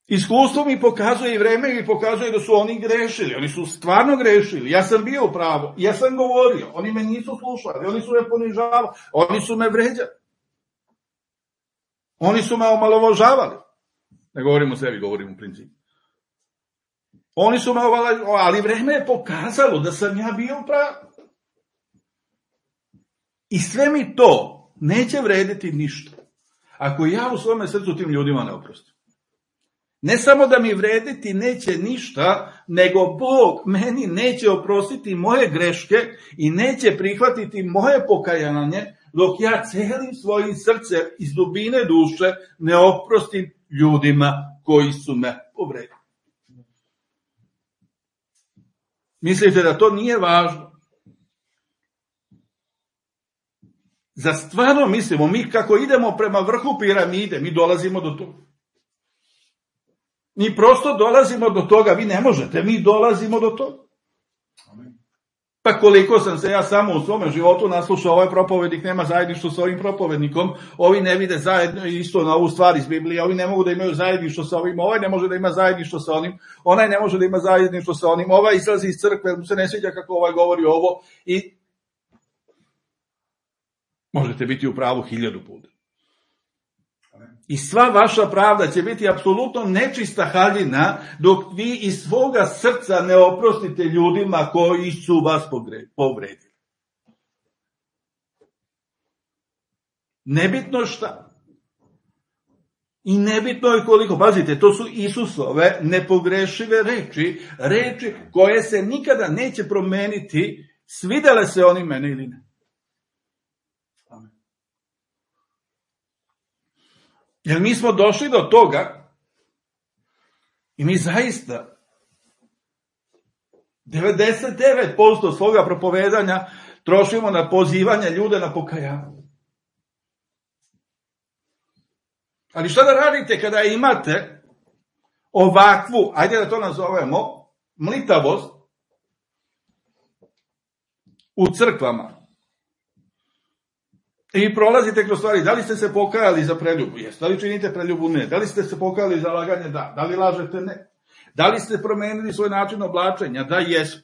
Iskustvo mi pokazuje i vreme mi pokazuje da su oni grešili. Oni su stvarno grešili. Ja sam bio u pravu. Ja sam govorio. Oni me nisu slušali. Oni su me ponižavali. Oni su me vređali. Oni su me omalovažavali. Ne govorim o sebi, govorim u principu. Oni su me omalovažavali, ali vreme je pokazalo da sam ja bio u pravu. I sve mi to neće vrediti ništa. Ako ja u svome srcu tim ljudima ne oprostim. Ne samo da mi vrediti neće ništa, nego Bog meni neće oprostiti moje greške i neće prihvatiti moje pokajanje, dok ja celim svojim srcem iz dubine duše ne oprostim ljudima koji su me povredili. Mislite da to nije važno? Za stvarno mislimo, mi kako idemo prema vrhu piramide, mi dolazimo do toga. Mi prosto dolazimo do toga, vi ne možete, mi dolazimo do toga. Pa koliko sam se ja samo u svome životu naslušao, ovaj propovednik nema zajedništvo s ovim propovednikom, ovi ne vide zajedno isto na ovu stvar iz Biblije, ovi ne mogu da imaju zajedništvo sa ovim, ovaj ne može da ima zajedništvo sa onim, onaj ne može da ima zajedništvo sa onim, ovaj izlazi iz crkve, mu se ne sviđa kako ovaj govori ovo i možete biti u pravu hiljadu puta. I sva vaša pravda će biti apsolutno nečista haljina dok vi iz svoga srca ne oprostite ljudima koji su vas povredili. Nebitno šta. I nebitno je koliko. Pazite, to su Isusove nepogrešive reči, reči koje se nikada neće promeniti, svidele se oni mene ili ne. Jer mi smo došli do toga i mi zaista devedeset devet posto svoga propovedanja trošimo na pozivanje ljude na pokajanje. Ali šta da radite kada imate ovakvu, ajde da to nazovemo, mlitavost u crkvama? I prolazite kroz stvari, da li ste se pokajali za preljubu? Jeste. Da li činite preljubu? Ne. Da li ste se pokajali za laganje? Da. Da li lažete? Ne. Da li ste promenili svoj način oblačenja? Da, jesmo.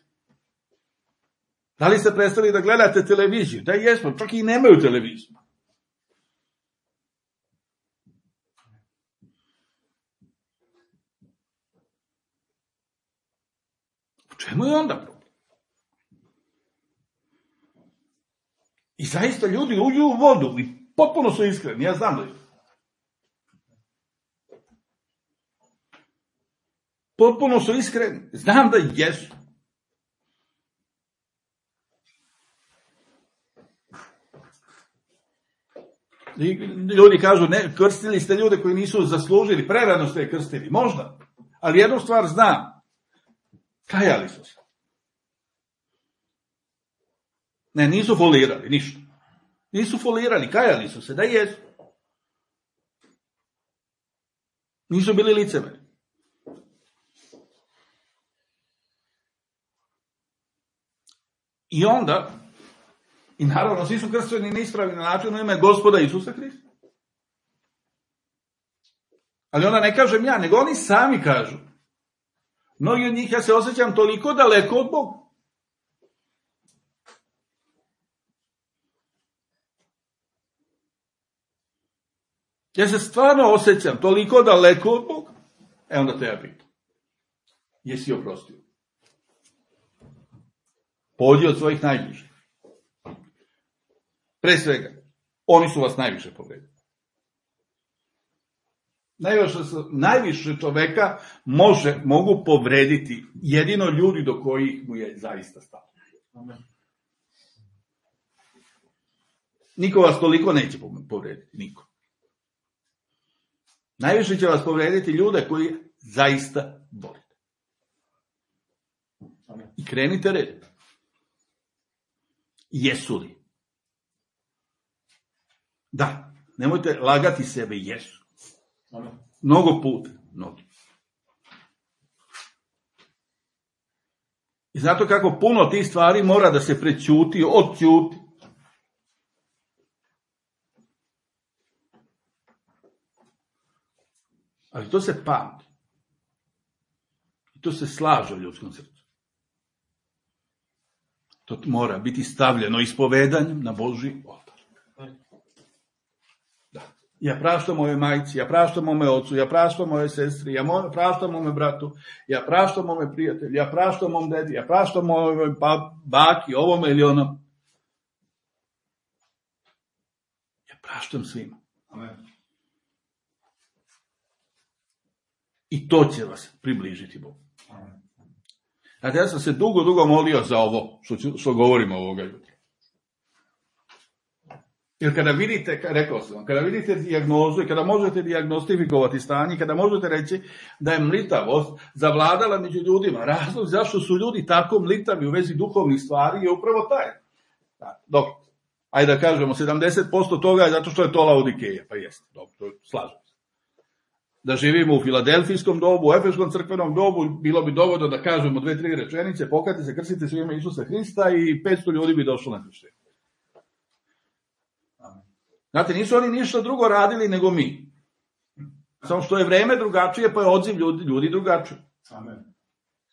Da li ste prestali da gledate televiziju? Da, jesmo. Čak i nemaju televiziju. U čemu je onda problem? I zaista ljudi uđu u vodu i potpuno su iskreni, ja znam da je. Potpuno su iskreni, znam da jesu. I ljudi kažu, ne, krstili ste ljude koji nisu zaslužili, prerano ste je krstili, možda. Ali jednu stvar znam, kajali su se. Ne, nisu folirali, ništa. Nisu folirali, kajali su se, da jesu. Nisu bili licemeri. I onda, i naravno, svi su kršteni na ispravni način u ime Gospoda Isusa Hrista. Ali onda ne kažem ja, nego oni sami kažu. Mnogi od njih, ja se osjećam toliko daleko od Boga. Ja se stvarno osjećam toliko daleko od Boga. E onda te ja pitam. Jesi oprostio? Pođi od svojih najbližih. Pre svega, oni su vas najviše povredili. Najviše, najviše čoveka može, mogu povrediti jedino ljudi do kojih mu je zaista stalo. Niko vas toliko neće povrediti, niko. Najviše će vas povrediti ljude koji zaista volite. I krenite red. Jesu li? Da, nemojte lagati sebe, jesu. Mnogo puta, mnogi. I zato kako puno tih stvari mora da se prećuti, odćuti. Ali to se pamti. I to se slaže u ljudskom srcu. To mora biti stavljeno ispovedanjem na Božji oltar. Da. Ja praštam moje majci, ja praštam mome ocu, ja praštam moje sestri, ja praštam mome bratu, ja praštam mome prijatelju, ja praštam mom dedi, ja praštam mome baki, ovome ili onom. Ja praštam svima. Amen. I to će vas približiti Bogu. Znate, ja sam se dugo, dugo molio za ovo, što, što govorimo ovoga jutra. Jer kada vidite, rekao sam vam, kada vidite dijagnozu i kada možete dijagnostifikovati stanje, kada možete reći da je mlitavost zavladala među ljudima, razlog zašto su ljudi tako mlitavi u vezi duhovnih stvari je upravo taj. Da, dok, ajde da kažemo, sedamdeset posto toga je zato što je to Laodikeja, pa jeste, dobro, to slažem se. da živimo u filadelfijskom dobu, u efeškom crkvenom dobu, bilo bi dovoljno da kažemo dve, tri rečenice, pokajte se, krstite se u ime Isusa Hrista i petsto ljudi bi došlo na krštenje. Znate, nisu oni ništa drugo radili nego mi. Samo što je vreme drugačije, pa je odziv ljudi, ljudi drugačije. Amen.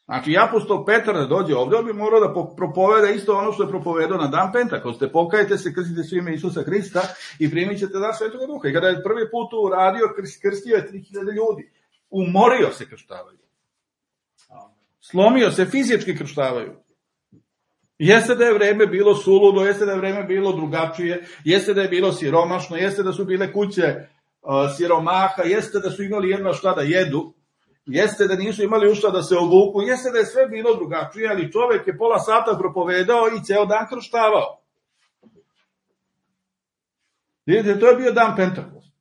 Znači, apostol Petar da dođe ovdje, on bi morao da propoveda isto ono što je propovedao na dan Pentekoste. Pokajte se, krstite se u ime Isusa Hrista i primit ćete dar Svetoga Duha. I kada je prvi put to uradio, krstio je tri hiljade ljudi. Umorio se krštavaju. Slomio se, fizički krštavaju. Jeste da je vreme bilo suludo, jeste da je vreme bilo drugačije, jeste da je bilo siromašno, jeste da su bile kuće uh, siromaha, jeste da su imali jedno šta da jedu, jeste da nisu imali u šta da se obuku, jeste da je sve bilo drugačije, ali čovjek je pola sata propovedao i ceo dan krštavao. Vidite, to je bio dan Pentekost.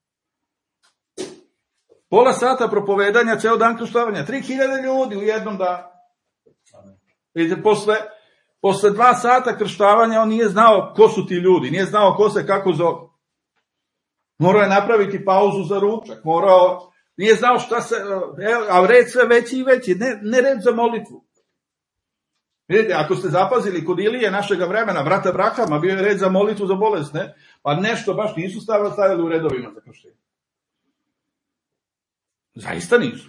Pola sata propovedanja, ceo dan krštavanja, tri hiljade ljudi u jednom danu. Vidite, posle, posle dva sata krštavanja on nije znao ko su ti ljudi, nije znao ko se kako zove. Morao je napraviti pauzu za ručak, morao... Nije znao šta se, a red sve veći i veći, ne, ne red za molitvu. Vidite, ako ste zapazili kod Ilije našega vremena, brata Brahama, bio je red za molitvu za bolesne, pa nešto baš nisu stavili, stavili u redovima za krštenje. Zaista nisu.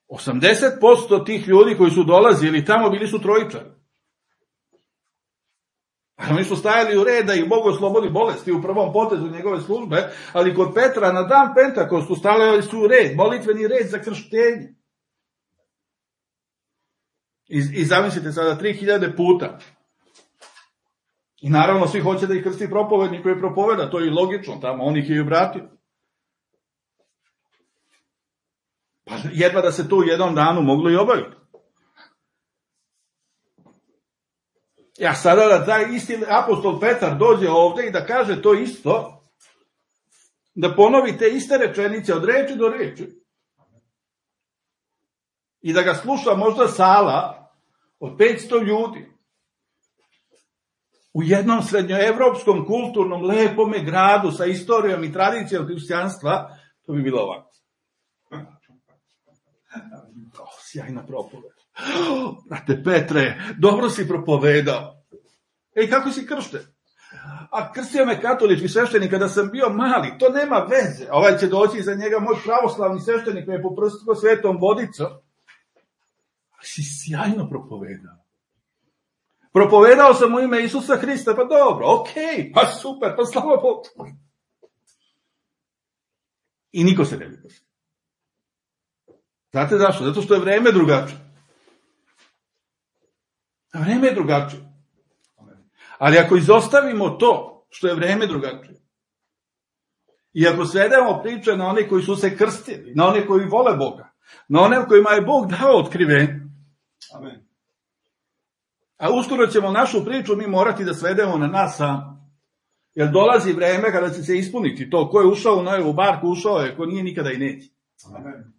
osamdeset posto tih ljudi koji su dolazili tamo bili su trojičari. Oni su stajali u red da ih Bog oslobodi bolesti u prvom potezu njegove službe, ali kod Petra na dan Pentakostu stavljali su u red, molitveni red za krštenje. I, i zamislite sada tri hiljade puta. I naravno svi hoće da ih krsti propovednik koji propoveda, to je i logično tamo, on ih je i obratio. Pa jedva da se to u jednom danu moglo i obaviti. Ja sada da taj isti apostol Petar dođe ovdje i da kaže to isto, da ponovi te iste rečenice od reči do reči i da ga sluša možda sala od petsto ljudi u jednom srednjoevropskom kulturnom lepome gradu sa istorijom i tradicijom hrišćanstva, to bi bilo ovako. Oh, sjajna propoved. Oh, brate Petre, dobro si propovedao. Ej, kako si kršten? A krstio me katolički sveštenik kada sam bio mali, to nema veze. Ovaj će doći za njega moj pravoslavni sveštenik me je poprstio svetom vodicom. Ali si sjajno propovedao. Propovedao sam u ime Isusa Hrista, pa dobro, okej, okay, pa super, pa slava Bogu. I niko se ne bi krstio. Znate zašto? Zato što je vreme drugačije. Vreme je drugačije. Ali ako izostavimo to što je vreme drugačije, i ako svedemo priče na one koji su se krstili, na one koji vole Boga, na one kojima je Bog dao otkrivenje, Amen. A uskoro ćemo našu priču mi morati da svedemo na nas sam. Jer dolazi vreme kada će se ispuniti to. Ko je ušao u Noevu barku, ušao je, ko nije nikada i neće. Amen.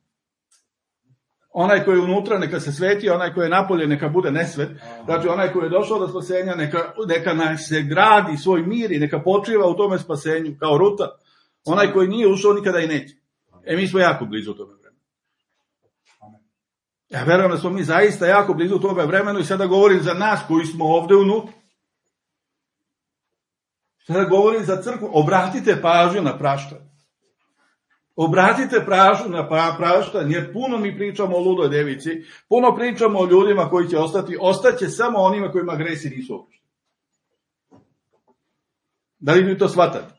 Onaj koji je unutra neka se sveti, onaj koji je napolje neka bude nesvet. Znači onaj koji je došao do spasenja neka, neka se gradi svoj mir i neka počiva u tome spasenju kao Ruta. Onaj koji nije ušao nikada i neće. E mi smo jako blizu tome vremenu. Ja verujem da smo mi zaista jako blizu tome vremenu i sada govorim za nas koji smo ovde unutra. Sada govorim za crkvu. Obratite pažnju na praštanje. Obratite pažnju na praštanje, jer puno mi pričamo o ludoj devici, puno pričamo o ljudima koji će ostati, ostaće samo onima kojima gresi nisu oprošteni. Da li vi to shvatate?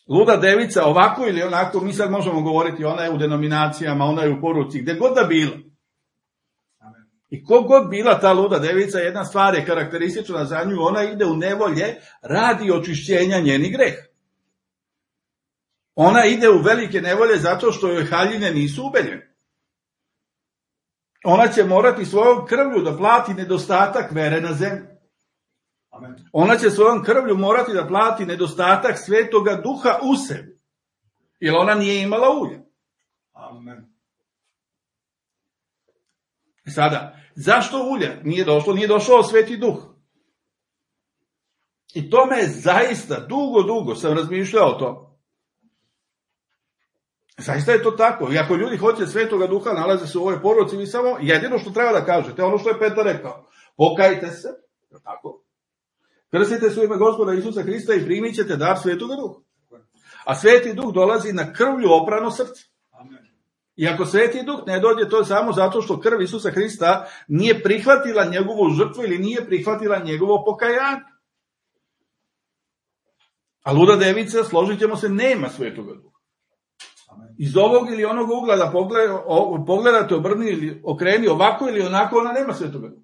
Luda devica, ovako ili onako, mi sad možemo govoriti, ona je u denominacijama, ona je u poruci, gde god da bila. I kog god bila ta luda devica, jedna stvar je karakteristična za nju, ona ide u nevolje radi očišćenja njenih greha. Ona ide u velike nevolje zato što joj haljine nisu ubeljene. Ona će morati svojom krvlju da plati nedostatak vere na zemlji. Amen. Ona će svojom krvlju morati da plati nedostatak svetoga duha u sebi. Jer ona nije imala ulja. Amen. Sada, zašto ulja nije došlo? Nije došao sveti duh. I to me zaista, dugo, dugo sam razmišljao o tome. Zaista je to tako. I ako ljudi hoće Svetoga Duha, nalaze se u ovoj poruci, vi samo jedino što treba da kažete, ono što je Petar rekao, pokajte se, tako, krstite se u ime Gospoda Isusa Hrista i primit ćete dar Svetoga Duha. A Sveti Duh dolazi na krvlju oprano srce. I ako Sveti Duh ne dođe, to je samo zato što krv Isusa Hrista nije prihvatila njegovu žrtvu ili nije prihvatila njegovo pokajanje. A luda devica, složit ćemo se, nema Svetoga Duha. Iz ovog ili onog ugla da pogledate, obrni ili okreni ovako ili onako, ona nema Svetoga Duha.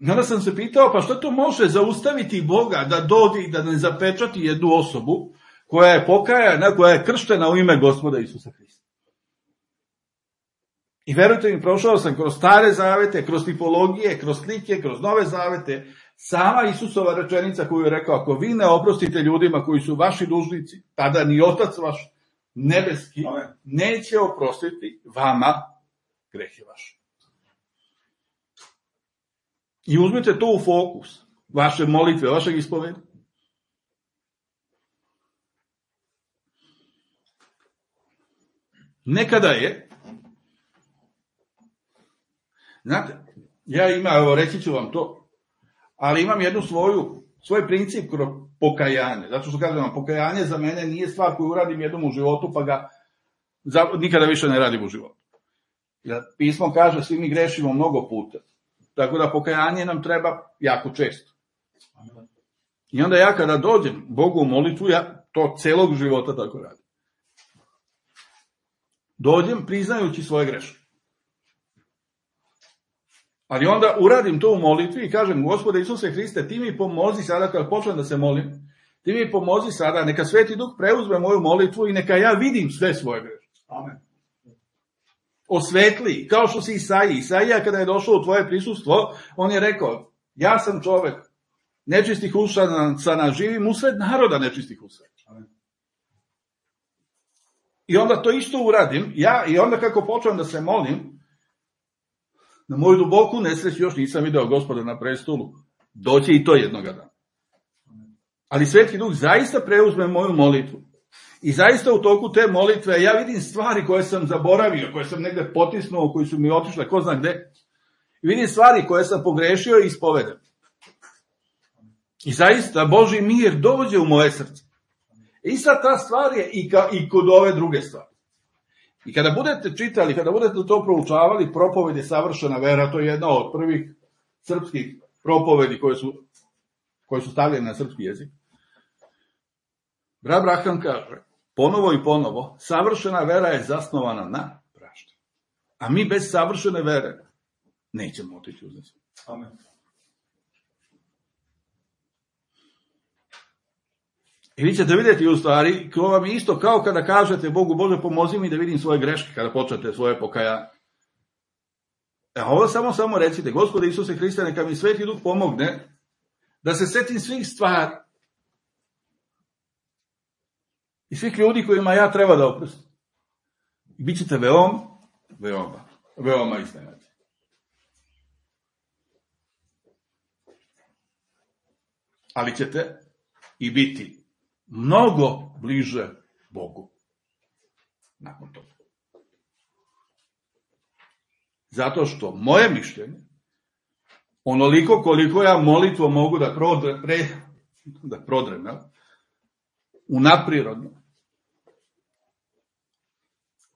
I onda sam se pitao, pa što to može zaustaviti Boga da dođe i da ne zapečati jednu osobu koja je pokajana, koja je krštena u ime Gospoda Isusa Hrista. I verujte mi, prošao sam kroz stare zavete, kroz tipologije, kroz slike, kroz nove zavete, sama Isusova rečenica koju je rekao, ako vi ne oprostite ljudima koji su vaši dužnici, tada ni Otac vaš nebeski neće oprostiti vama grehe vaše. I uzmite to u fokus, vaše molitve, vašeg ispoveda. Nekada je, znate, ja imam, evo reći ću vam to, ali imam jednu svoju, svoj princip kroz pokajanje. Zato što kažem vam, pokajanje za mene nije stvar koju uradim jednom u životu, pa ga za, nikada više ne radim u životu. Jer pismo kaže, svi mi grešimo mnogo puta. Tako da pokajanje nam treba jako često. I onda ja kada dođem Bogu u molitvu, ja to celog života tako radim. Dođem priznajući svoje greške. Ali onda uradim to u molitvi i kažem, Gospode Isuse Hriste, ti mi pomozi sada kad počnem da se molim, ti mi pomozi sada, neka Sveti Duh preuzme moju molitvu i neka ja vidim sve svoje greške. Amen. Osvetli, kao što si Isaiji. Isaija kada je došao u tvoje prisustvo, on je rekao, ja sam čovek nečistih usana, živim usred naroda nečistih usana. I onda to isto uradim, ja, i onda kako počnem da se molim, na moju duboku nesreću još nisam video Gospoda na prestolu, doće i to jednoga dana. Ali Sveti Duh zaista preuzme moju molitvu. I zaista u toku te molitve ja vidim stvari koje sam zaboravio, koje sam negde potisnuo, koje su mi otišle, ko zna gde. I vidim stvari koje sam pogrešio i ispovedam. I zaista Božji mir dođe u moje srce. I sad ta stvar je i, ka, i kod ove druge stvari. I kada budete čitali, kada budete to proučavali, propovedi savršena vera, to je jedna od prvih srpskih propovedi koje su, koje su stavljene na srpski jezik. Brat Braham kaže, ponovo i ponovo, savršena vera je zasnovana na praštanju. A mi bez savršene vere nećemo otići u nesvijest. Amen. I vi ćete vidjeti u stvari, ko vam je isto kao kada kažete Bogu, Bože pomozi mi da vidim svoje greške, kada počnete svoje pokajanje. E ovo samo, samo recite, Gospode Isuse Hriste, neka mi Sveti Duh pomogne da se setim svih stvari i svih ljudi kojima ja treba da oprostim. I bit ćete veoma, veoma, veoma iznenađeni. Ali ćete i biti mnogo bliže Bogu nakon toga. Zato što moje mišljenje, onoliko koliko ja molitvo mogu da prodre, pre, da prodrem, ja, unaprirodno,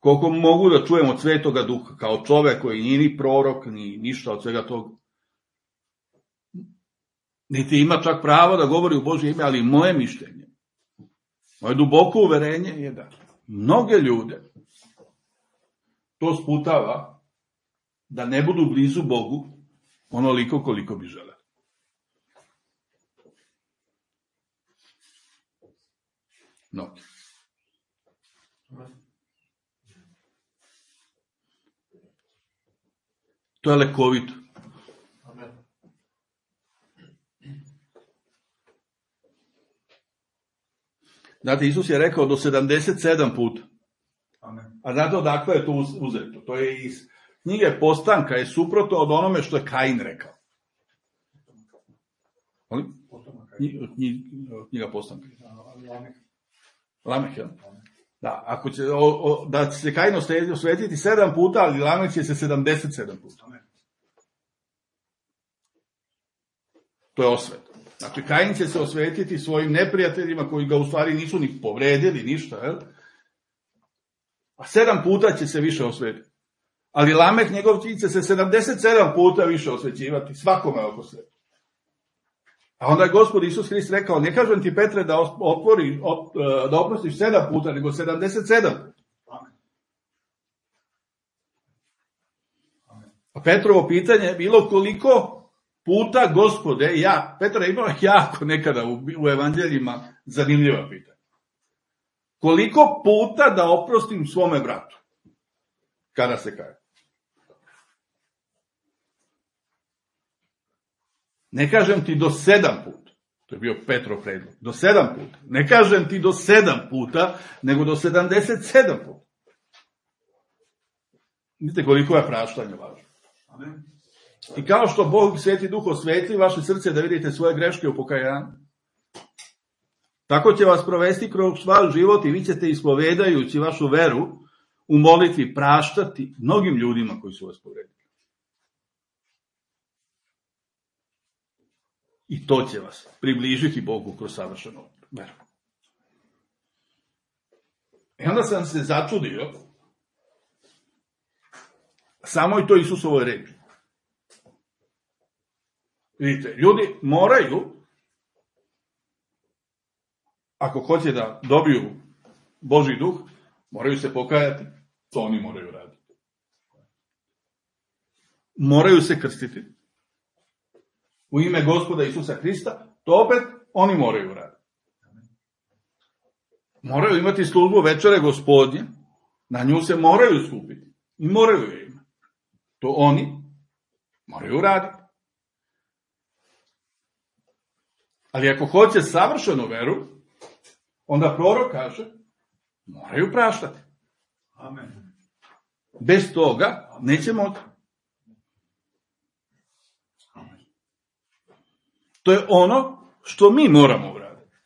koliko mogu da čujem od Svetoga Duha, kao čovek koji nije ni prorok, ni ništa od svega toga, niti ima čak pravo da govori u Božje ime, ali moje mišljenje, moje duboko uverenje je da mnoge ljude to sputava da ne budu blizu Bogu onoliko koliko bi žele. Mnogi. To je lekovito. Znate, Isus je rekao do sedamdeset sedam puta. Amen. A znate odakle je to uzeto? To je iz knjige Postanka, je suprotno od onome što je Kain rekao. Knjiga Postanka. Lameh, ja? Da, ako će, o, o, da će se Kain osvetiti sedam puta, ali Lamek će se sedamdeset sedam puta. To je osveta. Znači, Kain će se osvetiti svojim neprijateljima koji ga u stvari nisu ni povredili, ništa, jel? A sedam puta će se više osvetiti. Ali Lamek, njegov cilj će se sedamdeset sedam puta više osvećivati, svakome oko sebe. A onda je Gospod Isus Hrist rekao, ne kažem ti, Petre, da otvori, da oprostiš sedam puta, nego sedamdeset sedam. A Petrovo pitanje je bilo koliko puta, Gospode, ja, Petra je imao jako nekada u, u evanđeljima zanimljiva pitanja. Koliko puta da oprostim svome bratu? Kada se kaje? Ne kažem ti do sedam puta. To je bio Petrov predlog. Do sedam puta. Ne kažem ti do sedam puta, nego do sedamdeset sedam puta. Vidite koliko je praštanje važno. Amen. I kao što Bog, Sveti Duh, osvetli vaše srce da vidite svoje greške u pokajanju, tako će vas provesti kroz vaš život i vi ćete, ispovedajući vašu veru, u molitvi praštati mnogim ljudima koji su vas povredili. I to će vas približiti Bogu kroz savršenu veru. I onda sam se začudio samoj to Isusovoj reči. Vidite, ljudi moraju, ako hoće da dobiju Božji duh, moraju se pokajati, to oni moraju raditi. Moraju se krstiti u ime Gospoda Isusa Hrista, to opet oni moraju raditi. Moraju imati službu večere Gospodnje, na nju se moraju skupiti i moraju je imati. To oni moraju raditi. Ali ako hoće savršenu veru, onda prorok kaže, moraju praštati. Amen. Bez toga neće moći. To je ono što mi moramo uraditi.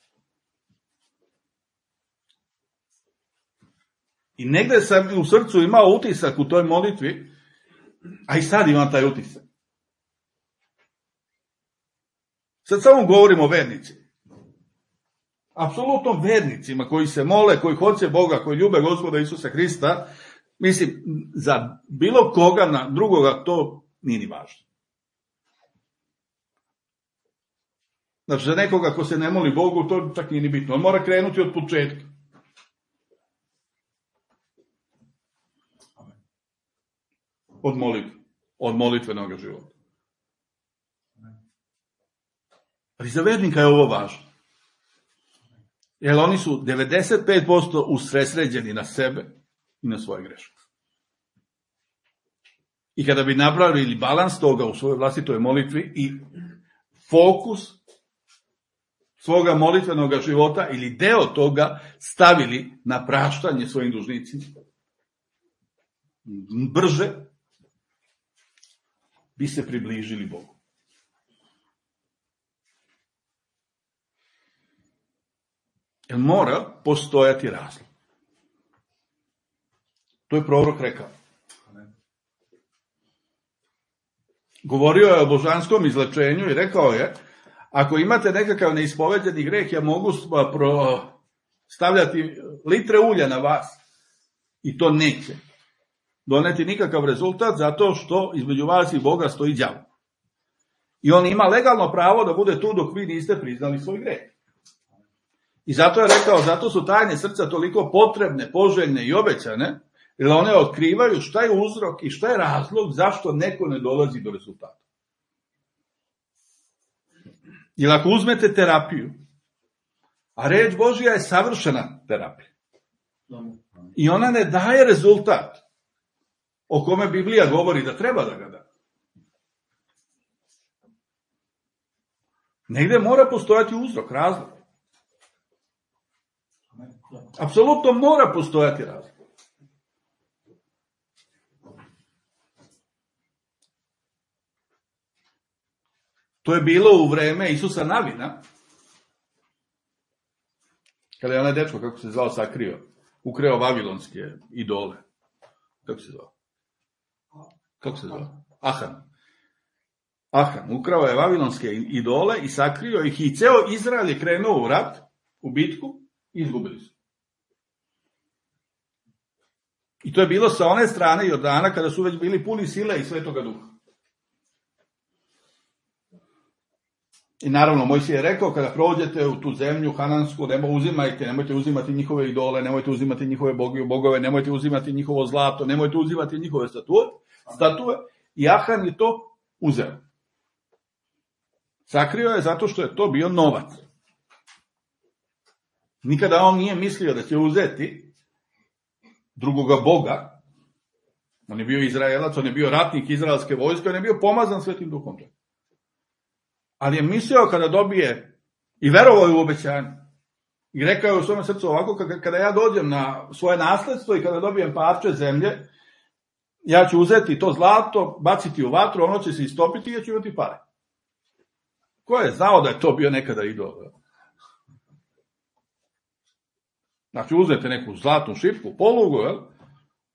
I negde sam u srcu imao utisak u toj molitvi, a i sad imam taj utisak. Sad samo govorimo o vernicima. Apsolutno vernicima koji se mole, koji hoće Boga, koji ljube Gospoda Isusa Hrista, mislim, za bilo koga na drugoga to nije ni važno. Znači, za nekoga ko se ne moli Bogu, to čak nije ni bitno. On mora krenuti od početka. Od molitve. Od molitvenog života. Ali za vernika je ovo važno. Jer oni su devedeset pet posto usredsređeni na sebe i na svoje greške. I kada bi napravili balans toga u svojoj vlastitoj molitvi i fokus svoga molitvenog života ili deo toga stavili na praštanje svojim dužnicima, brže bi se približili Bogu. Jer mora postojati razlog. To je prorok rekao. Govorio je o božanskom izlečenju i rekao je, ako imate nekakav neispoveđeni greh, ja mogu stavljati litre ulja na vas i to neće doneti nikakav rezultat zato što između vas i Boga stoji đavo. I on ima legalno pravo da bude tu dok vi niste priznali svoj greh. I zato je rekao, zato su tajne srca toliko potrebne, poželjne i obećane, jer one otkrivaju šta je uzrok i šta je razlog zašto neko ne dolazi do rezultata. Jer ako uzmete terapiju, a reč Božja je savršena terapija, i ona ne daje rezultat o kome Biblija govori da treba da ga da. Negde mora postojati uzrok, razlog. Apsolutno mora postojati razlog. To je bilo u vreme Isusa Navina, kada je onaj dečko, kako se zvao, sakrio ukrao vavilonske idole. Kako se zvao? Kako se zvao? Ahan. Ahan. Ukrao je vavilonske idole i sakrio ih i ceo Izrael je krenuo u rat, u bitku i izgubili su. I to je bilo sa one strane Jordana kada su već bili puni sile i Svetoga Duha. I naravno, Mojsije je rekao, kada prođete u tu zemlju hanansku, nema uzimajte, nemojte uzimati njihove idole, nemojte uzimati njihove bogove, nemojte uzimati njihovo zlato, nemojte uzimati njihove statue, statue. I Ahan je to uzeo. Sakrio je zato što je to bio novac. Nikada on nije mislio da će uzeti drugoga Boga. On je bio Izraelac, on je bio ratnik izraelske vojske, on je bio pomazan Svetim Duhom. Ali je mislio kada dobije i verovao je u obećanje. I rekao je u svome srcu ovako, kada ja dođem na svoje nasledstvo i kada dobijem parče zemlje, ja ću uzeti to zlato, baciti u vatru, ono će se istopiti i ja ću imati pare. Ko je znao da je to bio nekada idol? Znači, uzmete neku zlatnu šipku, polugu, jel?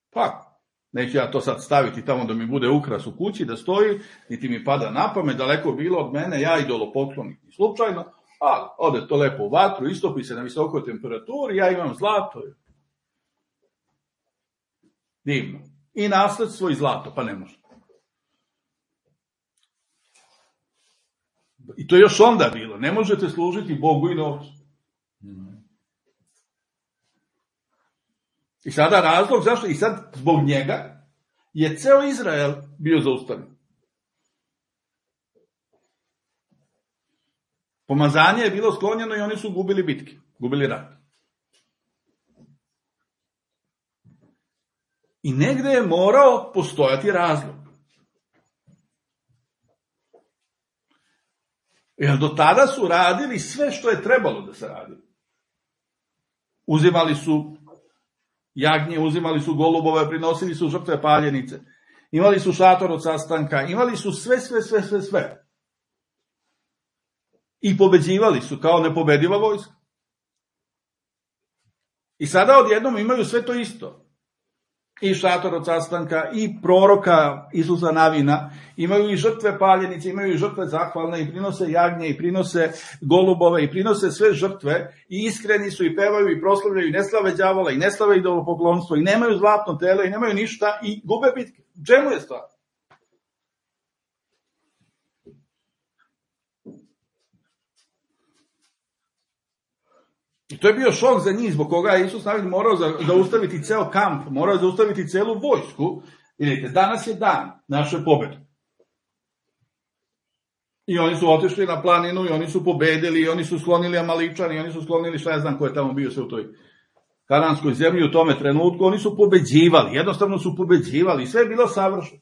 Pa, neću ja to sad staviti tamo da mi bude ukras u kući, da stoji, niti mi pada na pamet, daleko bilo od mene, ja idolopoklonik i slučajno, ali ode to lepo u vatru, istopi se na visokoj temperaturi, ja imam zlato. Divno. I nasledstvo i zlato, pa ne može. I to je još onda bilo. Ne možete služiti Bogu i novcu. I sada razlog zašto, i sad zbog njega, je ceo Izrael bio zaustavljen. Pomazanje je bilo sklonjeno i oni su gubili bitke, gubili rat. I negde je morao postojati razlog. Jer do tada su radili sve što je trebalo da se radi. Uzimali su jagnje, uzimali su golubove, prinosili su žrtve paljenice, imali su šator od sastanka, imali su sve, sve, sve, sve, sve. I pobeđivali su kao nepobediva vojska. I sada odjednom imaju sve to isto. I šator od sastanka, i proroka Isusa Navina, imaju i žrtve paljenice, imaju i žrtve zahvalne, i prinose jagnje, i prinose golubove, i prinose sve žrtve, i iskreni su, i pevaju, i proslavljaju, i ne slave đavola, i ne slave idolopoklonstvo, i nemaju zlatno telo, i nemaju ništa, i gube bitke. U čemu je stvar? I to je bio šok za njih, zbog koga je Isus Navin morao zaustaviti ceo kamp, morao zaustaviti celu vojsku. Vidite, danas je dan naše pobede. I oni su otišli na planinu, i oni su pobedili, i oni su sklonili Amaličan, i oni su sklonili, šta ja znam ko je tamo bio sve u toj kananskoj zemlji u tome trenutku, oni su pobeđivali, jednostavno su pobeđivali, sve je bilo savršeno.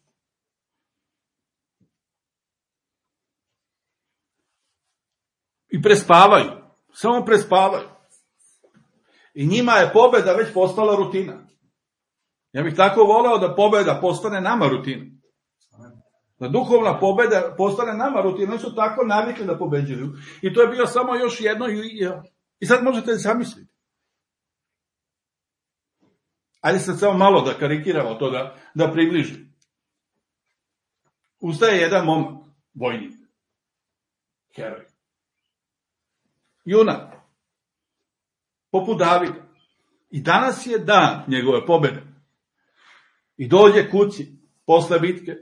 I prespavaju, samo prespavaju. I njima je pobeda već postala rutina. Ja bih tako voleo da pobeda postane nama rutina. Da duhovna pobeda postane nama rutina. Oni su tako navikli da pobeđuju. I to je bio samo još jedno. I sad možete zamisliti. Ajde sad samo malo da karikiramo to, da, da približim. Ustaje jedan momak, vojnik. Heroj. Junak. Poput Davida. I danas je dan njegove pobede. I dođe kući posle bitke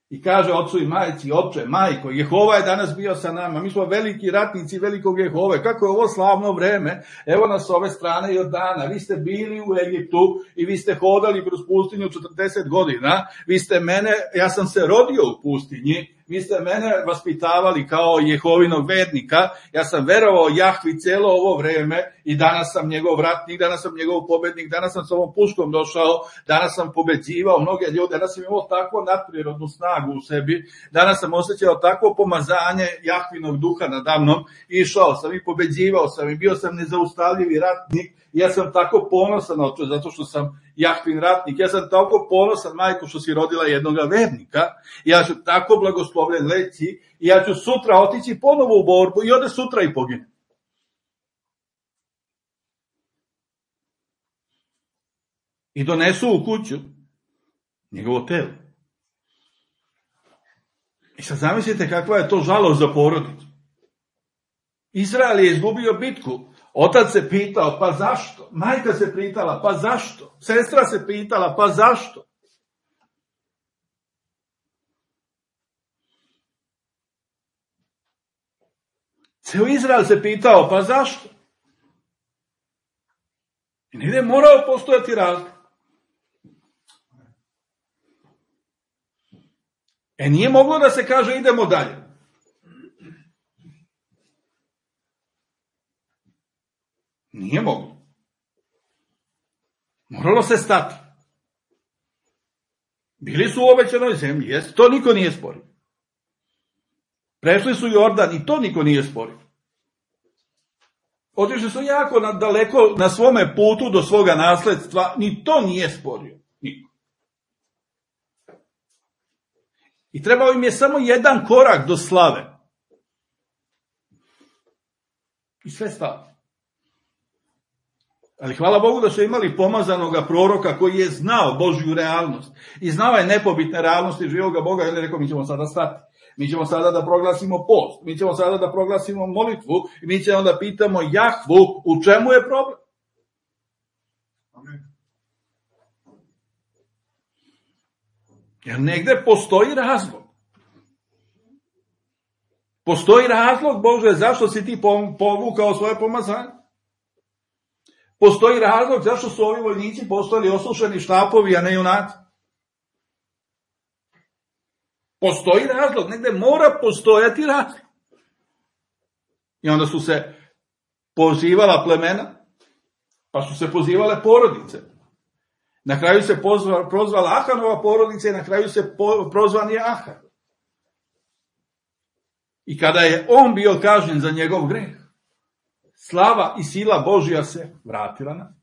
i kaže ocu i majci, oče, majko, Jehova je danas bio sa nama, mi smo veliki ratnici velikog Jehove, kako je ovo slavno vreme, evo nas s ove strane Jordana, vi ste bili u Egiptu i vi ste hodali kroz pustinju četrdeset godina, vi ste mene, ja sam se rodio u pustinji, vi ste mene vaspitavali kao Jehovinog vernika, ja sam verovao Jahvi celo ovo vreme i danas sam njegov ratnik, danas sam njegov pobednik, danas sam s ovom puškom došao, danas sam pobeđivao mnoge ljude, danas sam imao takvu nadprirodnu snagu u sebi, danas sam osjećao takvo pomazanje Jahvinog duha nadamnom, išao sam i pobeđivao sam i bio sam nezaustavljivi ratnik. Ja sam tako ponosan, oče, zato što sam Jahvin ratnik. Ja sam tako ponosan, majko, što si rodila jednog vernika. Ja ću tako blagoslovljen leći i ja ću sutra otići ponovo u borbu i ode sutra i pogine. i donesu u kuću njegovo telo. I sad zamislite kakva je to žalost za porodicu. Izrael je izgubio bitku. Otac se pitao, pa zašto? Majka se pitala, pa zašto? Sestra se pitala, pa zašto? Ceo Izrael se pitao, pa zašto? I negdje je morao postojati razlog. E nije moglo da se kaže idemo dalje. Nije moglo. Moralo se stati. Bili su u obećanoj zemlji, jest, to niko nije sporio. Prešli su Jordan i to niko nije sporio. Otišli su jako na, daleko na svome putu do svoga nasledstva, ni to nije sporio. Niko. I trebao im je samo jedan korak do slave. I sve stalo. Ali hvala Bogu da su imali pomazanoga proroka koji je znao Božju realnost. I znao je nepobitne realnosti živoga Boga. I on je rekao, mi ćemo sada stati. Mi ćemo sada da proglasimo post. Mi ćemo sada da proglasimo molitvu. I mi ćemo da pitamo Jahvu u čemu je problem. Amen. Jer negde postoji razlog. Postoji razlog, Bože, zašto si ti povukao svoje pomazanje? Postoji razlog zašto su ovi vojnici postali osušeni štapovi, a ne junaci. Postoji razlog, negde mora postojati razlog. I onda su se pozivala plemena, pa su se pozivale porodice. Na kraju se pozvala, prozvala Ahanova porodica i na kraju se po, prozvan je Ahan. I kada je on bio kažnjen za njegov greh, slava i sila Božja se vratila na.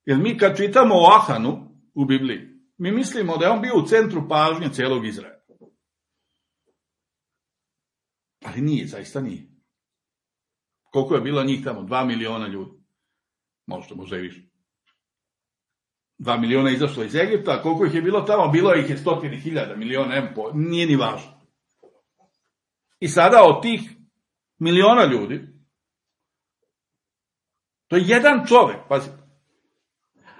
Jer mi kad čitamo o Ahanu u Bibliji, mi mislimo da je on bio u centru pažnje celog Izraela. Ali nije, zaista nije. Koliko je bilo njih tamo? Dva miliona ljudi. Možda, možda i više. Dva miliona izašlo iz Egipta, a koliko ih je bilo tamo? Bilo ih je stotine hiljada, miliona, empo, nije ni važno. I sada od tih miliona ljudi, to je jedan čovek, pazi,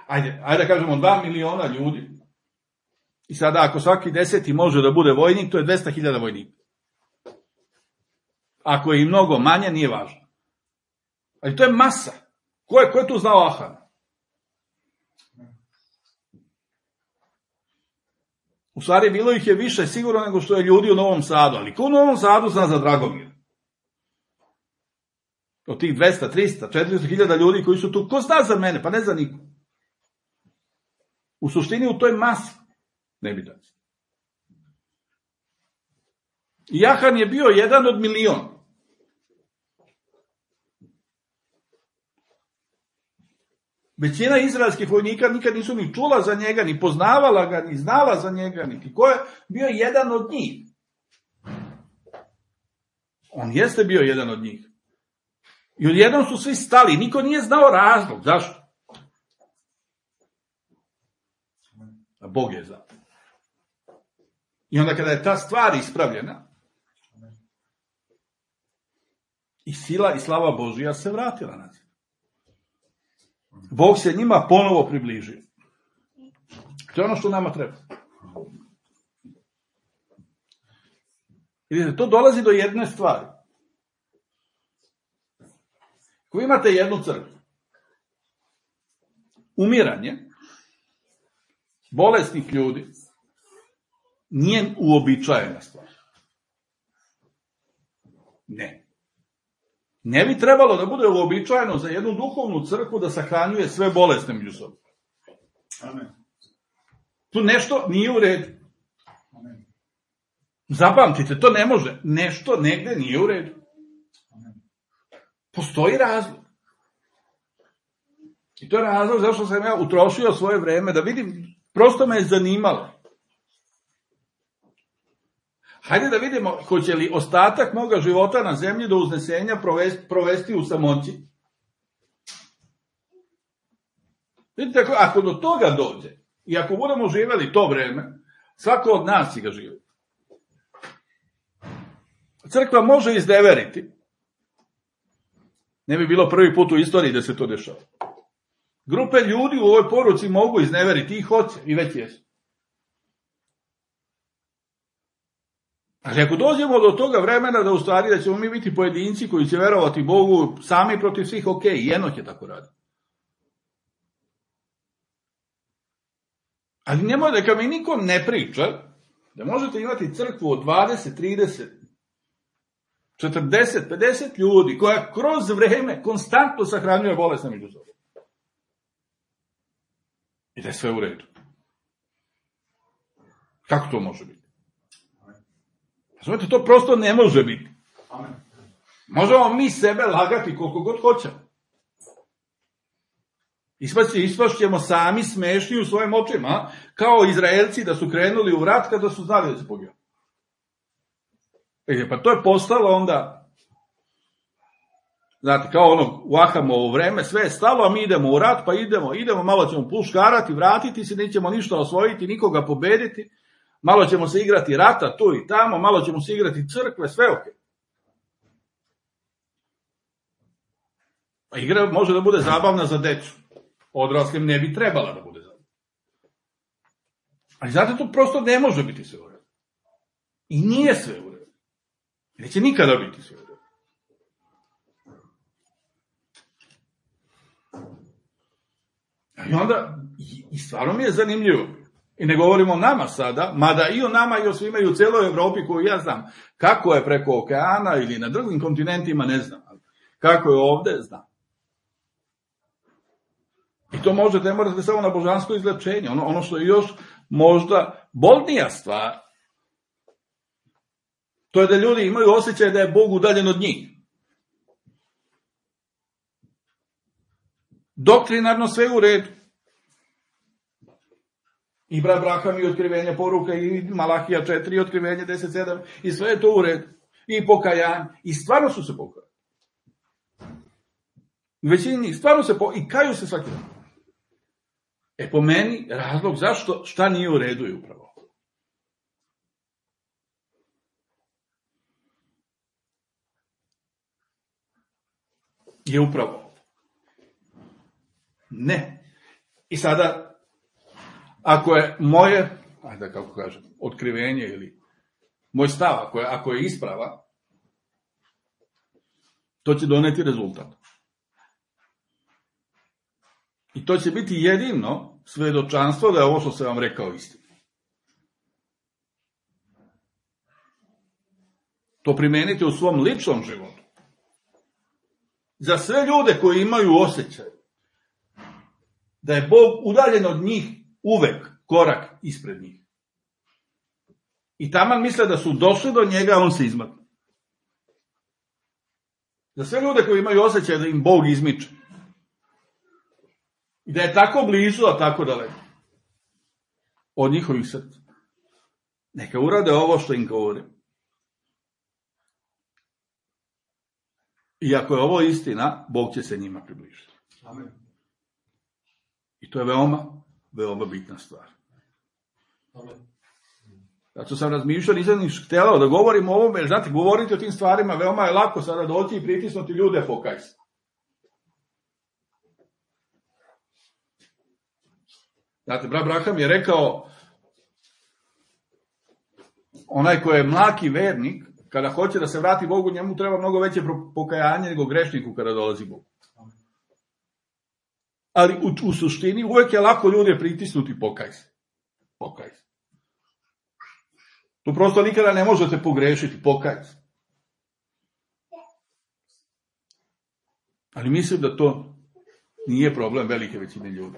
ajde, ajde da kažemo dva miliona ljudi, i sada ako svaki deseti može da bude vojnik, to je dvesta hiljada vojnika. Ako je i mnogo manje, nije važno. Ali to je masa. Ko je, ko je tu znao Ahana? U stvari, bilo ih je više sigurno nego što je ljudi u Novom Sadu. Ali ko u Novom Sadu zna za Dragomir? Od tih dvesta, trista, četiristo hiljada ljudi koji su tu, ko zna za mene? Pa ne za niko. U suštini u toj masi ne bi daći. I Ahan je bio jedan od miliona. Većina izraelskih vojnika nikad nisu ni čula za njega, ni poznavala ga, ni znala za njega, niti ko je bio jedan od njih. On jeste bio jedan od njih. I odjednom su svi stali, niko nije znao razlog. Zašto? A Bog je znao. I onda kada je ta stvar ispravljena, i sila i slava Božija se vratila na zemlju. Bog se njima ponovo približio. To je ono što nama treba. Vidite, to dolazi do jedne stvari. Ako imate jednu crkvu, umiranje bolesnih ljudi nije uobičajena stvar. Ne. Ne bi trebalo da bude uobičajeno za jednu duhovnu crkvu da sahranjuje sve bolesne među sobom. Amen. Tu nešto nije u redu. Amen. Zapamtite, to ne može. Nešto negde nije u redu. Amen. Postoji razlog. I to je razlog zašto sam ja utrošio svoje vreme da vidim, prosto me je zanimalo. Hajde da vidimo, hoće li ostatak moga života na zemlji do uznesenja provesti, provesti u samoći. Vidite, ako do toga dođe, i ako budemo živjeli to vreme, svako od nas će ga živjeti. Crkva može izneveriti. Ne bi bilo prvi put u istoriji da se to dešava. Grupe ljudi u ovoj poruci mogu izneveriti i hoće, i već jesu. Ali ako dođemo do toga vremena da u stvari da ćemo mi biti pojedinci koji će verovati Bogu sami protiv svih, ok, i Enok je tako radi. Ali nemoj da kad mi nikom ne priča, da možete imati crkvu od dvadeset, trideset, četrdeset, pedeset ljudi koja kroz vreme konstantno sahranjuje bolesne među sobom. I da je sve u redu. Kako to može biti? Znate, to prosto ne može biti. Možemo mi sebe lagati koliko god hoćemo. Ispašćemo sami smešni u svojim očima, kao Izraelci da su krenuli u rat kada su znali da se poginu. E, pa to je postalo onda, znate, kao ono u Ahamovo vreme, sve je stalo, a mi idemo u rat, pa idemo, idemo, malo ćemo puškarati, vratiti se, nećemo ništa osvojiti, nikoga pobediti, malo ćemo se igrati rata tu i tamo, malo ćemo se igrati crkve, sve ok. Pa igra može da bude zabavna za decu. Odraslim ne bi trebala da bude zabavna. Ali znate, to prosto ne može biti sve u redu. I nije sve u redu. I neće nikada biti sve u redu. I onda, i stvarno mi je zanimljivo. I ne govorimo o nama sada, mada i o nama i o svima i u celoj Evropi koju ja znam. Kako je preko okeana ili na drugim kontinentima, ne znam. Kako je ovde, znam. I to možete, ne morate samo na božansko izlečenje. Ono, ono što je još možda bolnija stvar, to je da ljudi imaju osjećaj da je Bog udaljen od njih. Doktrinarno sve u redu. I brat Braham i otkrivenje poruka i Malahija četiri i otkrivenje deset sedam i sve je to u redu. I pokajanje. I stvarno su se pokajali. Većini njih stvarno se pokajali i kaju se svaki dan. E po meni razlog zašto šta nije u redu je upravo. Je upravo. Ne. I sada, ako je moje, ajde kako kažem, otkrivenje ili moj stav, ako je, ako je isprava, to će doneti rezultat. I to će biti jedino svedočanstvo da je ovo što sam vam rekao istina. To primenite u svom ličnom životu. Za sve ljude koji imaju osjećaj da je Bog udaljen od njih uvek korak ispred njih. I taman misle da su došli do njega, on se izmakne. Za sve ljude koji imaju osjećaj da im Bog izmiče. I da je tako blizu, a tako daleko. Od njihovih srca. Neka urade ovo što im govorim. I ako je ovo istina, Bog će se njima približiti. Amen. I to je veoma, veoma bitna stvar. Amen. Zato sam razmišljao, nisam ni htjela da govorim o ovome, jer znate, govoriti o tim stvarima, veoma je lako sada doći i pritisnuti ljude, pokaj se. Znate, brat Braham je rekao, onaj ko je mlaki vernik, kada hoće da se vrati Bogu, njemu treba mnogo veće pokajanje nego grešniku kada dolazi Bogu. Ali u, u suštini uvek je lako ljude pritisnuti, pokaj se. Pokaj se. Tu prosto nikada ne možete pogrešiti, pokaj se. Ali mislim da to nije problem velike većine ljudi.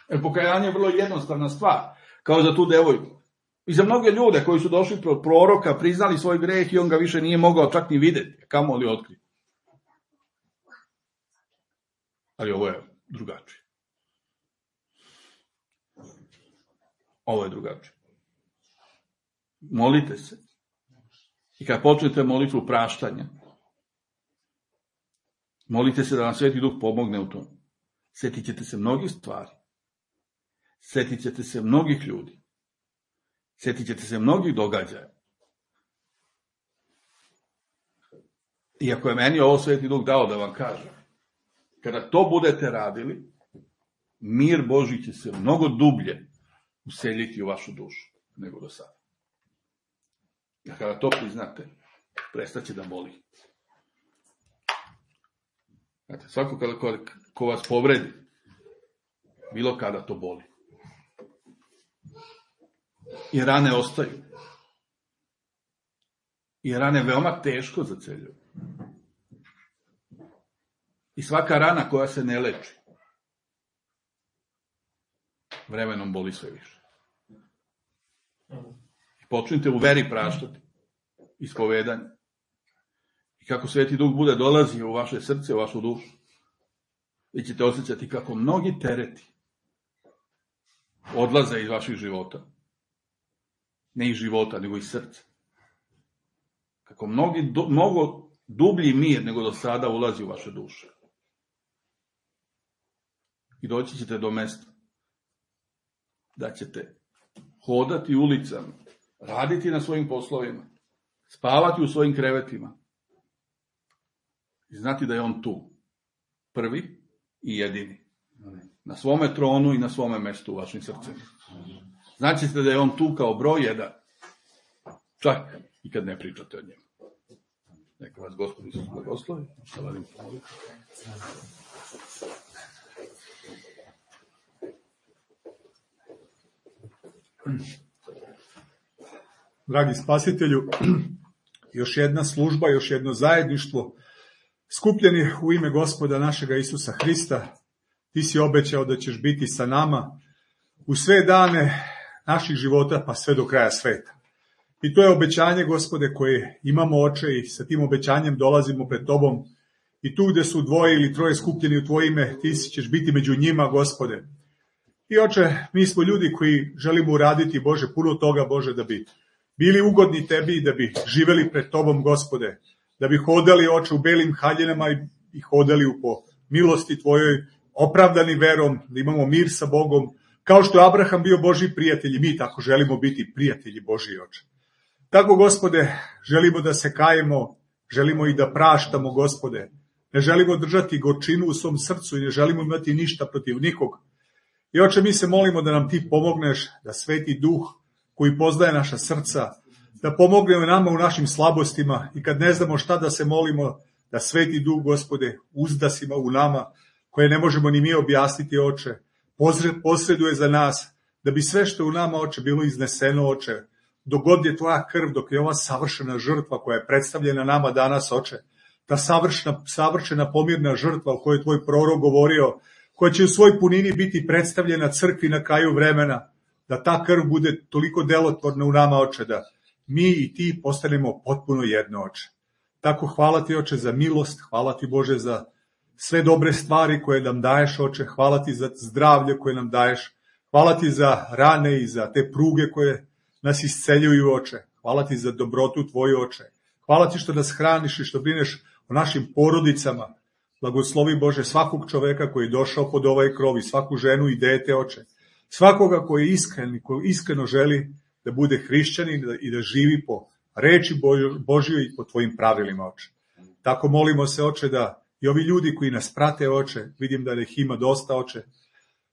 Jer pokajanje je vrlo jednostavna stvar, kao za tu devojku. I za mnoge ljude koji su došli pro proroka, priznali svoj greh i on ga više nije mogao čak ni videti, kamo li otkriti. Ali ovo je drugačije. Ovo je drugačije. Molite se. I kad počnete molitvu praštanja, molite se da vam Sveti Duh pomogne u tom. Sjetit ćete se mnogih stvari. Sjetit ćete se mnogih ljudi. Sjetit ćete se mnogih događaja. Iako je meni ovo Sveti Duh dao da vam kažem, kada to budete radili, mir Božji će se mnogo dublje useljiti u vašu dušu nego do sada. A kada to priznate, prestaće da boli. Znate, svako kada ko, ko vas povredi, bilo kada to boli. I rane ostaju. I rane veoma teško zaceljuju. I svaka rana koja se ne leči, vremenom boli sve više. I počnite u veri praštati, ispovedanje. I kako Sveti Duh bude dolazio u vaše srce, u vašu dušu, vi ćete osjećati kako mnogi tereti odlaze iz vaših života. Ne iz života, nego iz srca. Kako mnogi, do, mnogo dublji mir nego do sada ulazi u vaše duše. I doći ćete do mesta da ćete hodati ulicama, raditi na svojim poslovima, spavati u svojim krevetima i znati da je on tu, prvi i jedini, na svome tronu i na svome mestu u vašim srcima. Znači da je on tu kao broj jedan, čak i kad ne pričate o njemu. Neka vas Gospod Isus blagoslovi. Dragi spasitelju, još jedna služba, još jedno zajedništvo, skupljeni u ime Gospoda našega Isusa Hrista. Ti si obećao da ćeš biti sa nama u sve dane naših života, pa sve do kraja sveta. I to je obećanje, Gospode, koje imamo, Oče, i sa tim obećanjem dolazimo pred Tobom. I tu gde su dvoje ili troje skupljeni u Tvoje ime, Ti ćeš biti među njima, Gospode. I, Oče, mi smo ljudi koji želimo uraditi, Bože, puno toga, Bože, da bi bili ugodni Tebi i da bi živeli pred Tobom, Gospode. Da bi hodali, Oče, u belim haljinama i hodali u po milosti Tvojoj, opravdani verom, da imamo mir sa Bogom. Kao što je Abraham bio Božji prijatelj, mi tako želimo biti prijatelji Božji, Oče. Tako, Gospode, želimo da se kajemo, želimo i da praštamo, Gospode. Ne želimo držati gorčinu u svom srcu i ne želimo imati ništa protiv nikog. I, Oče, mi se molimo da nam Ti pomogneš, da Sveti Duh koji poznaje naša srca, da pomogne nama u našim slabostima i kad ne znamo šta da se molimo, da Sveti Duh, Gospode, uzdasima u nama, koje ne možemo ni mi objasniti, Oče, posreduje za nas, da bi sve što u nama, Oče, bilo izneseno, Oče, dok god je Tvoja krv, dok je ova savršena žrtva koja je predstavljena nama danas, Oče, ta savršena, savršena pomirna žrtva o kojoj je Tvoj prorok govorio, koja će u svoj punini biti predstavljena crkvi na kraju vremena, da ta krv bude toliko delotvorna u nama, Oče, da mi i Ti postanemo potpuno jedno, Oče. Tako hvala Ti, Oče, za milost, hvala Ti, Bože, za sve dobre stvari koje nam daješ, Oče, hvala Ti za zdravlje koje nam daješ, hvala Ti za rane i za te pruge koje nas isceljuju, Oče, hvala Ti za dobrotu Tvoju, Oče, hvala Ti što nas hraniš i što brineš o našim porodicama, blagoslovi, Bože, svakog čoveka koji je došao pod ovaj krov i svaku ženu i dete, Oče, svakoga koji je iskren, koji iskreno želi da bude hrišćanin i da živi po reči Božjoj i po Tvojim pravilima, Oče. Tako molimo se, Oče, da i ovi ljudi koji nas prate, Oče, vidim da ih ima dosta, Oče,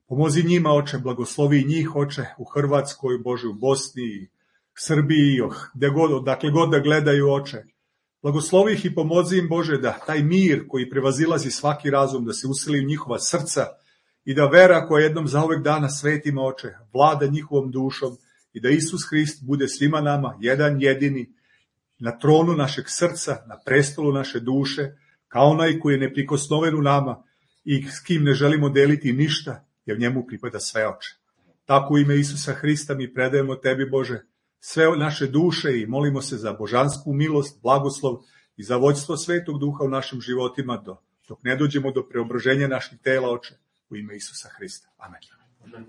pomozi njima, Oče, blagoslovi njih, Oče, u Hrvatskoj, Bože, u Bosni i Srbiji, gde god, odakle god da gledaju, Oče. Blagoslovi ih i pomozi im, Bože, da taj mir koji prevazilazi svaki razum, da se useli u njihova srca i da vera koja jednom zauvek dana svetima, Oče, vlada njihovom dušom i da Isus Hrist bude svima nama jedan jedini na tronu našeg srca, na prestolu naše duše, kao onaj koji je neprikosnoven u nama i s kim ne želimo deliti ništa, jer njemu pripada sve, Oče. Tako u ime Isusa Hrista mi predajemo Tebi, Bože, sve naše duše i molimo se za božansku milost, blagoslov i za vođstvo Svetog Duha u našim životima, dok ne dođemo do preobraženja naših tela, Oče, u ime Isusa Hrista. Amen. Amen.